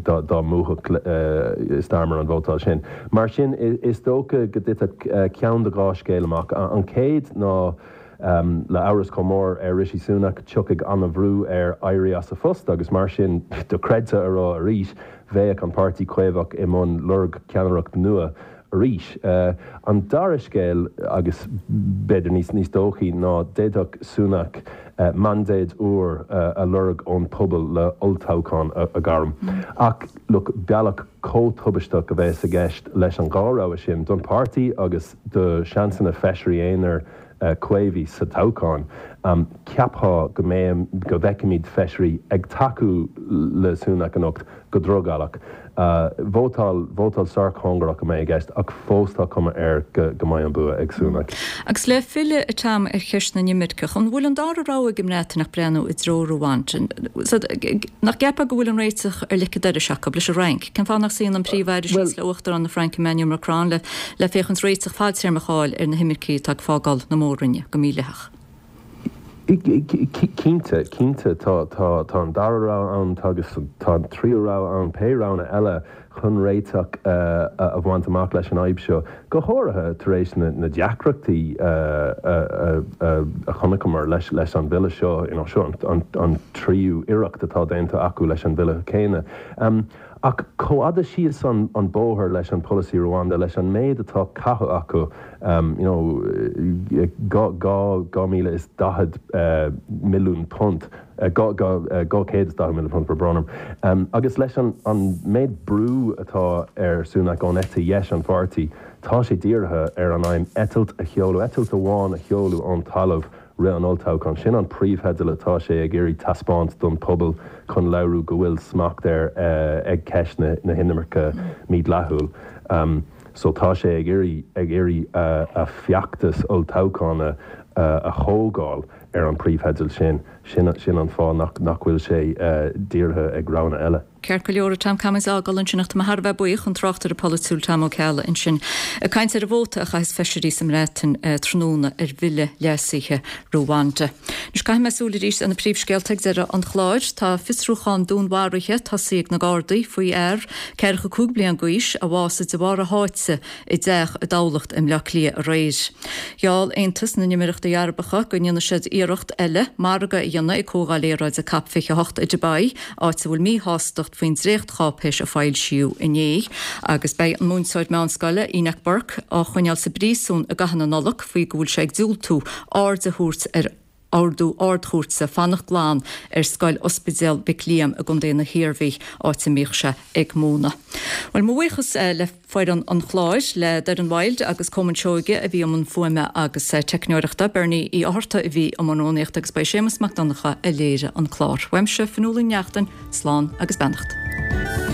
dá mbuafadh Starmer an vótáil sin. Mar sin, is dócha go dtitfeadh ceann de dhá scéal amach. An chéad ná, le amhras chomh mór ar Rishi Sunak, tiocfaidh an-bhrú air éirí as a phost agus mar sin, dochreidte a rá arís, bheadh an Páirtí Caomhach i mbun lorg ceannaireacht nua arís. An dara scéal, agus b'fhéidir níos dóichí, ná d'fhéadfadh Sunak mandate úr a lorg ón pobal le olltoghchán a ghairm. Ach look, bealach chomh tubaisteach a bheas i gceist leis an dhá rogha sin, don pháirtí agus do sheansanna feisirí aonair Caomhaigh sa toghchán. Cheapfá go mbeidh, go bhfeicfimid feisirí ag tacú le Sunak anocht go drogallach. Vótáil, vótáil sárchóngarach a mbeidh i gceist ach fós tá cuma air go mbeidh an bua ag Sunak. Agus le filleadh, a Tom, ar cheist na n-imirceach, an bhfuil an dara rogha ag an mBreatain ach breathnú i dtreo Ruanda? Nach gceapfá go bhfuil an réiteach ar leic an dorais acu, leis an Fhrainc? Cén fáth nach suíonn an Príomh-Aire síos le Uachtarán na Fraince Emmanuel Macron le le féachaint réiteach fadtéarmach a fháil ar na himircigh atá ag fágáil na mór-roinne go mídhleathach. Cinnte, cinnte, tá, tá, tá an dara rogha ann, tá agus tá an tríú rogha ann, pé roghanna eile chun réiteach a bhaint amach leis an fhadhb seo, go háirithe tar éis na, na deacrachtaí a, a chonaiceamar leis, leis an bhille seo, you know, seo an, an, an tríú iarracht atá déanta acu leis an bhille céanna. Ach chomh fhada síos an bóthar leis an polasaí Rwanda, leis an méid atá caite acu, you know, 2,040 milliún punt, 240 milliún punt, brón orm, agus leis an méid brú atá ar Sunak ón eite dheis an pháirtí, tá sé dírithe ar an aidhm eitilt a sheoladh, eitilt amháin a sheoladh ón talamh roimh an olltoghchán. Sin an príomhtheideal atá sé ag iarraidh taispeáint don phobal chun léiriú go bhfuil smacht air ag ceist na hinimirce mídhleathúil. So tá sé ag iarraidh ag iarraidh a feachtas olltoghchána a thógáil ar an príomhtheideal sin. Sin sin an fáth nach nach bhfuil sé dírithe ag roghanna eile. Ceart go leor, Tom, caithfidh muid a fhágáil ansin ach tá mé thar a bheith buíoch, an tráchtaire polaitiúil Tom Ó Ceallaigh ansin ag caint ar an vóta a chaithfeas feisirí sa mBreatain tráthnóna ar bhille leasaithe Ruanda. Anois caithfidh mé súil arís ar na príomhscéalta ag deireadh an chláir. Tá fiosrúchán dúnmharaithe tosaithe ag na Gardaí faoi fhear 45 bliain d'aois a bhásaigh de bharr a sháite i dteach i dTamhlacht i mBleá Cliath aréir. Gheall Aontas na nÉimíríochtaí Arabacha go ndéanfaidh siad iarracht eile margadh a dhéanamh ag Comhdháil Aeráide Cop 28 i Dubai, áit a bhfuil míshástacht faoin dréachtcháipéis a foilsíodh inné. Agus beidh an múinteoir meánscoile, Enoch Burke, á choinneáil sa bpríosún i gcaitheamh na Nollag faoi go bhfuil sé ag diúltú aird a thabhairt ar ordú Ard-Chúirte fanacht glan ar scoil Ospidéal Mhic Liam i gContae na hIarmhí, áit a mbíodh sé ag múineadh. Bhuel, mo bhuíochas le foireann an chláir, le Doireann Wilde agus Colman Seoige a bhí i mbun fuaime agus teicneoireachta, Bernie Uí Fhátharta a bhí i mbun rúnaíochta agus ba é Séamus Mac Donncha a léirigh an clár. Uaimse, Fionnuala Ní Neachtain, slán agus beannacht.